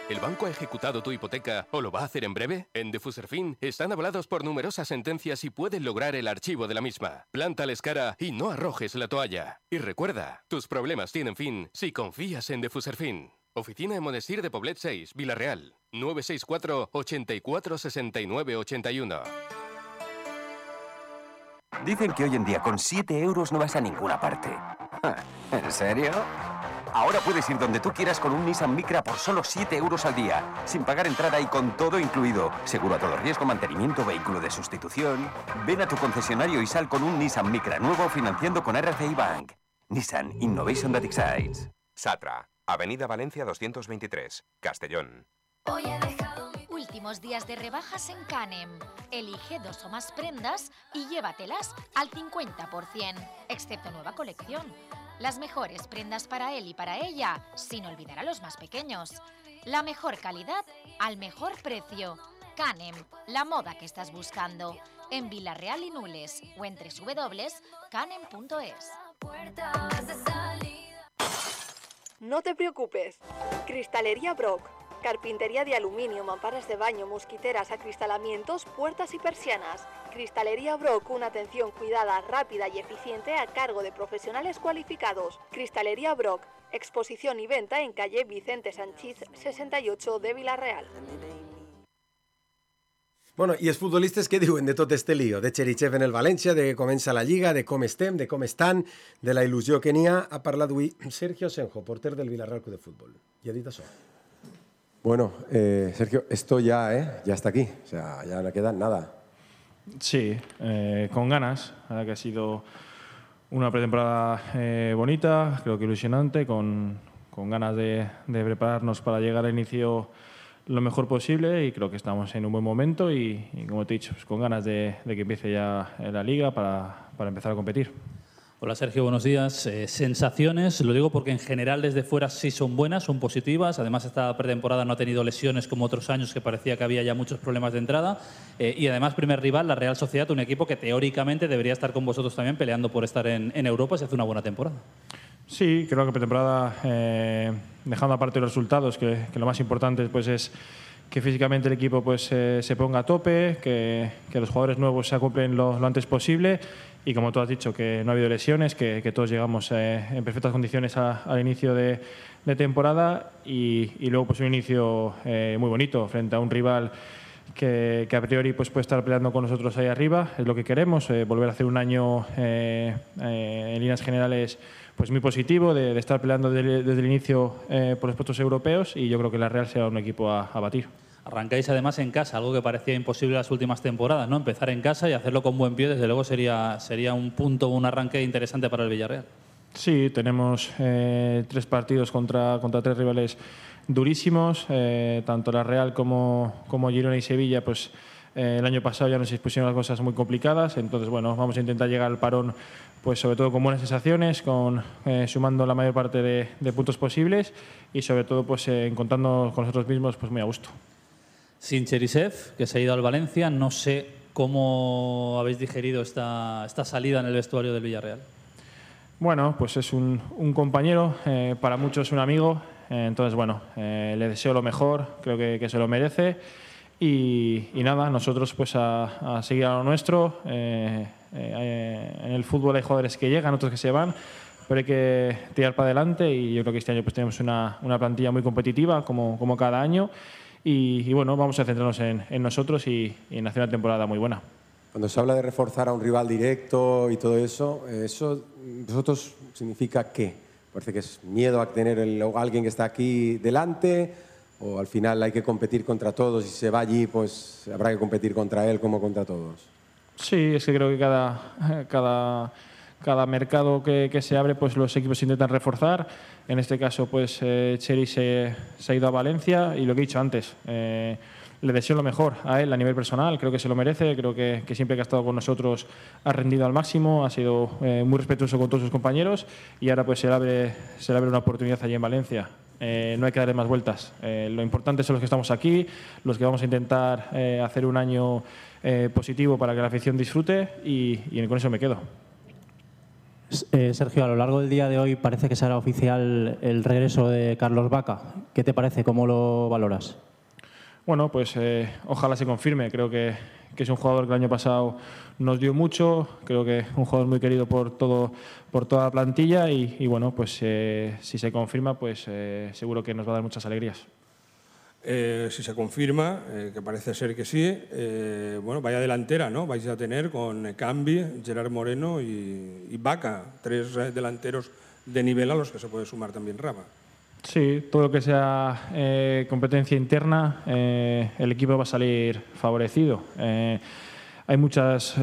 ¿El banco ha ejecutado tu hipoteca o lo va a hacer en breve? En Defuserfin están avalados por numerosas sentencias y pueden lograr el archivo de la misma. Plántales cara y no arrojes la toalla. Y recuerda, tus problemas tienen fin si confías en Defuserfin. Oficina en Monestir de Poblet 6, Villarreal. 964 84 69 81. Dicen que hoy en día con 7 euros no vas a ninguna parte. ¿En serio? Ahora puedes ir donde tú quieras con un Nissan Micra por solo 7 euros al día, sin pagar entrada y con todo incluido. Seguro a todo riesgo, mantenimiento, vehículo de sustitución. Ven a tu concesionario y sal con un Nissan Micra nuevo financiando con RCI Bank. Nissan Innovation that excites. Satra, Avenida Valencia 223, Castellón. Últimos días de rebajas en Canem. Elige 2 o más prendas y llévatelas al 50%, excepto nueva colección. Las mejores prendas para él y para ella, sin olvidar a los más pequeños. La mejor calidad al mejor precio. Canem, la moda que estás buscando. En Villarreal y Nules o en www.canem.es. No te preocupes. Cristalería Brock. Carpintería de aluminio, mamparas de baño, mosquiteras, acristalamientos, puertas y persianas. Cristalería Brock, una atención cuidada, rápida y eficiente a cargo de profesionales cualificados. Cristalería Brock, exposición y venta en calle Vicente Sanchís 68 de Villarreal. Bueno, i els futbolistes què diuen de tot este lío? De Cherichev en el València, de com comença la Lliga, de com estem, de com estan, de la il·lusió que n'hi ha. Ha parlat avui Sergio Senjo, porter del Villarreal Club de Fútbol. I ha dit això. Bueno, Sergio, esto ya está aquí. O sea, ya no queda nada. Sí, con ganas. La verdad que ha sido una pretemporada bonita, creo que ilusionante, con ganas de prepararnos para llegar al inicio lo mejor posible y creo que estamos en un buen momento y como te he dicho, pues con ganas de que empiece ya la Liga para empezar a competir. Hola Sergio, buenos días. Sensaciones, lo digo porque en general desde fuera sí son buenas, son positivas. Además esta pretemporada no ha tenido lesiones como otros años que parecía que había ya muchos problemas de entrada. Y además primer rival, la Real Sociedad, un equipo que teóricamente debería estar con vosotros también peleando por estar en Europa si hace una buena temporada. Sí, creo que pretemporada, dejando aparte los resultados, que lo más importante pues es que físicamente el equipo pues, se ponga a tope, que los jugadores nuevos se acoplen lo antes posible y como tú has dicho, que no ha habido lesiones, que todos llegamos en perfectas condiciones al inicio de temporada y luego pues un inicio muy bonito frente a un rival que a priori pues, puede estar peleando con nosotros ahí arriba, es lo que queremos, volver a hacer un año en líneas generales pues muy positivo, de estar peleando desde el inicio por los puestos europeos y yo creo que la Real será un equipo a batir. Arrancáis además en casa, algo que parecía imposible las últimas temporadas, ¿no? Empezar en casa y hacerlo con buen pie, desde luego sería un punto, un arranque interesante para el Villarreal. Sí, tenemos 3 partidos contra 3 rivales durísimos, tanto la Real como Girona y Sevilla, pues el año pasado ya nos expusieron las cosas muy complicadas, entonces bueno, vamos a intentar llegar al parón pues sobre todo con buenas sensaciones, sumando la mayor parte de puntos posibles y sobre todo pues encontrándonos con nosotros mismos pues muy a gusto. Sin Cherichev, que se ha ido al Valencia, no sé cómo habéis digerido esta salida en el vestuario del Villarreal. Bueno, pues es un compañero, para muchos un amigo, entonces bueno, le deseo lo mejor, creo que se lo merece y nada, nosotros pues a seguir a lo nuestro. En el fútbol hay jugadores que llegan, otros que se van, pero hay que tirar para adelante y yo creo que este año pues tenemos una plantilla muy competitiva como cada año y bueno, vamos a centrarnos en nosotros y en hacer una temporada muy buena. Cuando se habla de reforzar a un rival directo y todo eso, ¿vosotros significa qué? ¿Parece que es miedo a tener a alguien que está aquí delante o al final hay que competir contra todos y si se va allí pues habrá que competir contra él como contra todos? Sí, es que creo que cada mercado que se abre, pues los equipos intentan reforzar. En este caso, pues Cheri se ha ido a Valencia y lo que he dicho antes, le deseo lo mejor a él a nivel personal, creo que se lo merece, creo que siempre que ha estado con nosotros ha rendido al máximo, ha sido muy respetuoso con todos sus compañeros y ahora pues se le abre una oportunidad allí en Valencia. No hay que darle más vueltas. Lo importante son los que estamos aquí, los que vamos a intentar hacer un año positivo para que la afición disfrute y con eso me quedo. Sergio, a lo largo del día de hoy parece que será oficial el regreso de Carlos Vaca. ¿Qué te parece? ¿Cómo lo valoras? Bueno, pues ojalá se confirme. Creo que es un jugador que el año pasado nos dio mucho. Creo que un jugador muy querido por toda la plantilla y bueno, pues si se confirma, pues seguro que nos va a dar muchas alegrías. Si se confirma, que parece ser que sí, bueno, vaya delantera, ¿no? Vais a tener con Cambi, Gerard Moreno y Vaca, 3 delanteros de nivel a los que se puede sumar también Rama. Sí, todo lo que sea competencia interna, el equipo va a salir favorecido. Hay muchos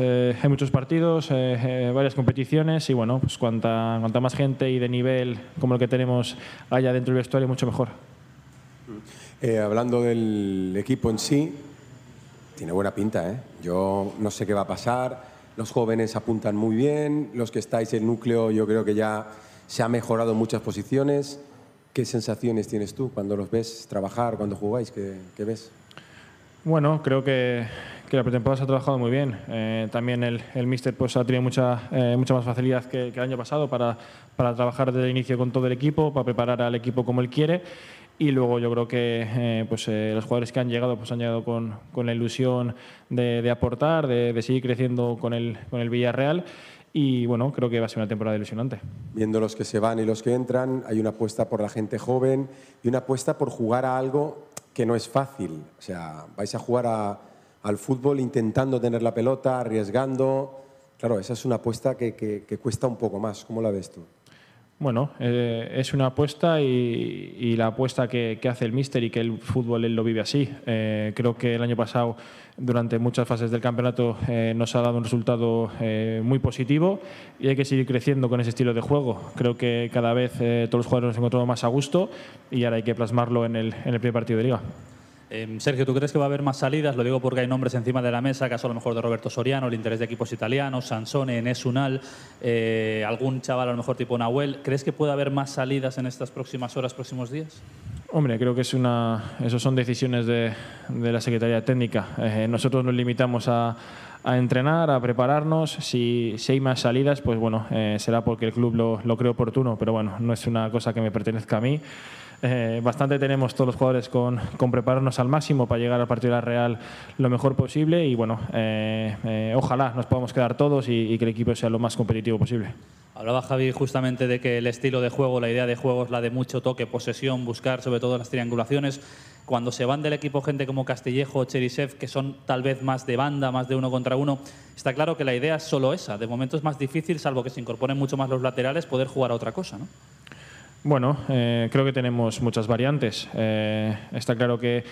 partidos, varias competiciones y bueno, pues cuanta más gente y de nivel como el que tenemos haya dentro del vestuario, mucho mejor. Hablando del equipo en sí, tiene buena pinta, ¿eh? Yo no sé qué va a pasar, los jóvenes apuntan muy bien, los que estáis en núcleo yo creo que ya se ha mejorado en muchas posiciones. ¿Qué sensaciones tienes tú cuando los ves trabajar, cuando jugáis? ¿Qué ves? Bueno, creo que la pretemporada se ha trabajado muy bien. También el míster pues, ha tenido mucha más facilidad que el año pasado para trabajar desde el inicio con todo el equipo, para preparar al equipo como él quiere. Y luego yo creo que los jugadores que han llegado pues han llegado con la ilusión de aportar, de seguir creciendo con el Villarreal. Y bueno, creo que va a ser una temporada ilusionante. Viendo los que se van y los que entran, hay una apuesta por la gente joven y una apuesta por jugar a algo que no es fácil. O sea, vais a jugar al fútbol intentando tener la pelota, arriesgando. Claro, esa es una apuesta que cuesta un poco más. ¿Cómo la ves tú? Bueno, es una apuesta y la apuesta que hace el míster y que el fútbol él lo vive así. Creo que el año pasado, durante muchas fases del campeonato, nos ha dado un resultado muy positivo y hay que seguir creciendo con ese estilo de juego. Creo que cada vez todos los jugadores nos hemos encontrado más a gusto y ahora hay que plasmarlo en el primer partido de Liga. Sergio, ¿tú crees que va a haber más salidas? Lo digo porque hay nombres encima de la mesa, caso a lo mejor de Roberto Soriano, el interés de equipos italianos, Sansone, Enes Unal, algún chaval a lo mejor tipo Nahuel. ¿Crees que puede haber más salidas en estas próximas horas, próximos días? Hombre, creo que eso son decisiones de la Secretaría Técnica. Nosotros nos limitamos a entrenar, a prepararnos. Si hay más salidas, pues bueno, será porque el club lo cree oportuno, pero bueno, no es una cosa que me pertenezca a mí. Bastante tenemos todos los jugadores con prepararnos al máximo para llegar al partido de la Real lo mejor posible y bueno, ojalá nos podamos quedar todos y que el equipo sea lo más competitivo posible. Hablaba Javi justamente de que el estilo de juego, la idea de juego es la de mucho toque, posesión, buscar sobre todo las triangulaciones. Cuando se van del equipo gente como Castillejo o Cherisev, que son tal vez más de banda, más de uno contra uno, está claro que la idea es solo esa. De momento es más difícil, salvo que se incorporen mucho más los laterales, poder jugar a otra cosa, ¿no? Bueno, creo que tenemos muchas variantes. Está claro que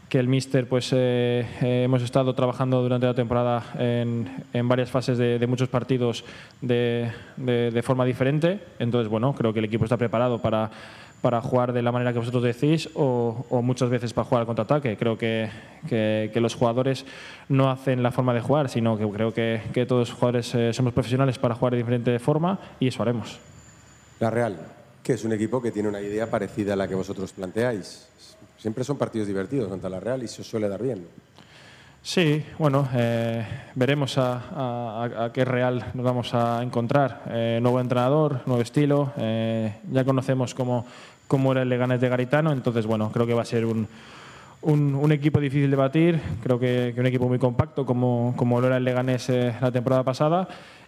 el míster pues hemos estado trabajando durante la temporada en varias fases de muchos partidos de forma diferente. Entonces, bueno, creo que el equipo está preparado para jugar de la manera que vosotros decís o muchas veces para jugar al contraataque. Creo que los jugadores no hacen la forma de jugar, sino que creo que todos los jugadores somos profesionales para jugar de diferente forma y eso haremos. La Real, que es un equipo que tiene una idea parecida a la que vosotros planteáis. Siempre son partidos divertidos contra la Real y se os suele dar bien. Sí, bueno, veremos a qué Real nos vamos a encontrar. Nuevo entrenador, nuevo estilo. Ya conocemos cómo era el Leganés de Garitano, entonces bueno, creo que va a ser un equipo difícil de batir. Creo que un equipo muy compacto como lo era el Leganés la temporada pasada.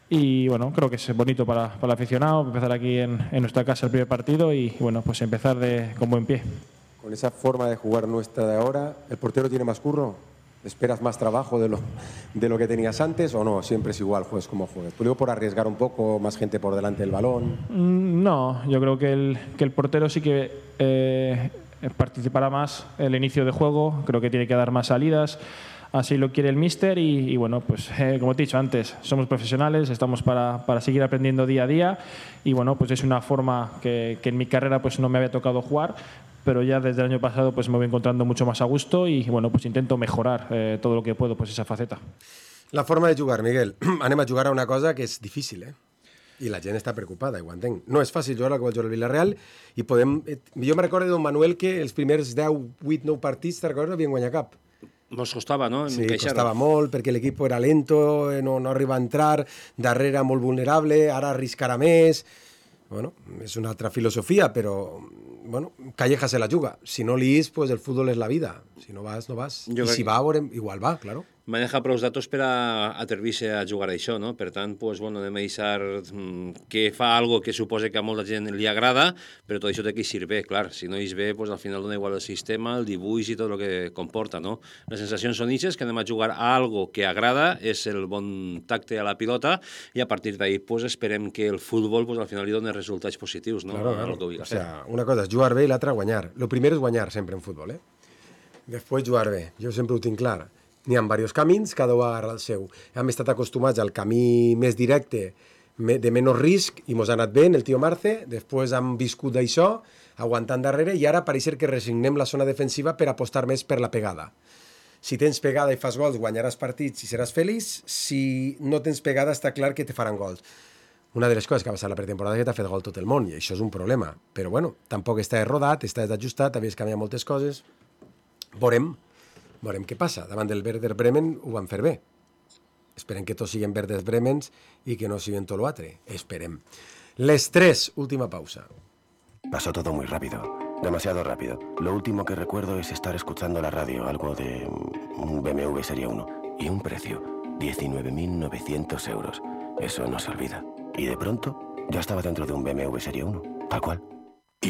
Y bueno, creo que es bonito para el aficionado empezar aquí en nuestra casa el primer partido y bueno, pues empezar con buen pie. Con esa forma de jugar nuestra de ahora, ¿el portero tiene más curro? ¿Esperas más trabajo de lo que tenías antes o no? Siempre es igual, juegues como juegues. Tú digo por arriesgar un poco, más gente por delante del balón. No, yo creo que el portero sí que participará más en el inicio de juego, creo que tiene que dar más salidas. Así lo quiere el míster y bueno, pues como te he dicho antes, somos profesionales, estamos para seguir aprendiendo día a día y bueno, pues es una forma que en mi carrera pues no me había tocado jugar, pero ya desde el año pasado pues me voy encontrando mucho más a gusto y bueno, pues intento mejorar todo lo que puedo pues esa faceta. La forma de jugar, Miguel. Anem a jugar a una cosa que és difícil, I la gent està preocupada, ho entenc. No és fàcil jugar al que va jugar el Villarreal i podem... Jo me recordo d'un Manuel que els primers 10, 8, 9 partits, te'n recordes, no havien guanyat cap. Nos costava, no? Sí, costava molt, perquè l'equip era lento, no arriba a entrar, darrere molt vulnerable, ara arriscarà més... Bueno, és una altra filosofia, però bueno, Calleja se la juga. Si no li és, pues el futbol és la vida. Si no vas, no vas. I si va, igual va, claro. Maneja prou datos per a atrevir-se a jugar a això, no? Per tant, pues, bueno, anem a deixar que fa algo que suposa que a molta gent li agrada, però tot això té que eixir bé, clar. Si no eix bé, pues, al final dona igual el sistema, el dibuix i tot el que comporta, no? Les sensacions són ixes, que anem a jugar a algo que agrada, és el bon tacte a la pilota, i a partir d'ahí pues, esperem que el futbol pues, al final li doni resultats positius, no? Claro. O sea, una cosa és jugar bé i l'altra guanyar. Lo primer és guanyar sempre en futbol, Després jugar bé. Jo sempre ho tinc clar. N'hi ha diversos camins, cada un agarra el seu. Hem estat acostumats al camí més directe, de menys risc, i mos ha anat bé el tio Marce. Després hem viscut d'això, aguantant darrere, i ara pareix que resignem la zona defensiva per apostar més per la pegada. Si tens pegada i fas gols, guanyaràs partits i seràs feliç. Si no tens pegada, està clar que te faran gols. una de les coses que ha passat la pretemporada és que t'ha fet gol tot el món, i això és un problema. Però bueno, tampoc està rodat, està desajustat, havies canviat moltes coses. Veurem què passa. Davant del Werder Bremen ho van fer bé. Esperem que tots siguin Werder Bremens i que no siguin tot l'altre. Esperem. Les 3, última pausa. Pasó todo muy rápido, demasiado rápido. Lo último que recuerdo es estar escuchando la radio, algo de un BMW Serie 1, y un precio, 19.900 euros. Eso no se olvida. Y de pronto, ya estaba dentro de un BMW Serie 1, tal cual.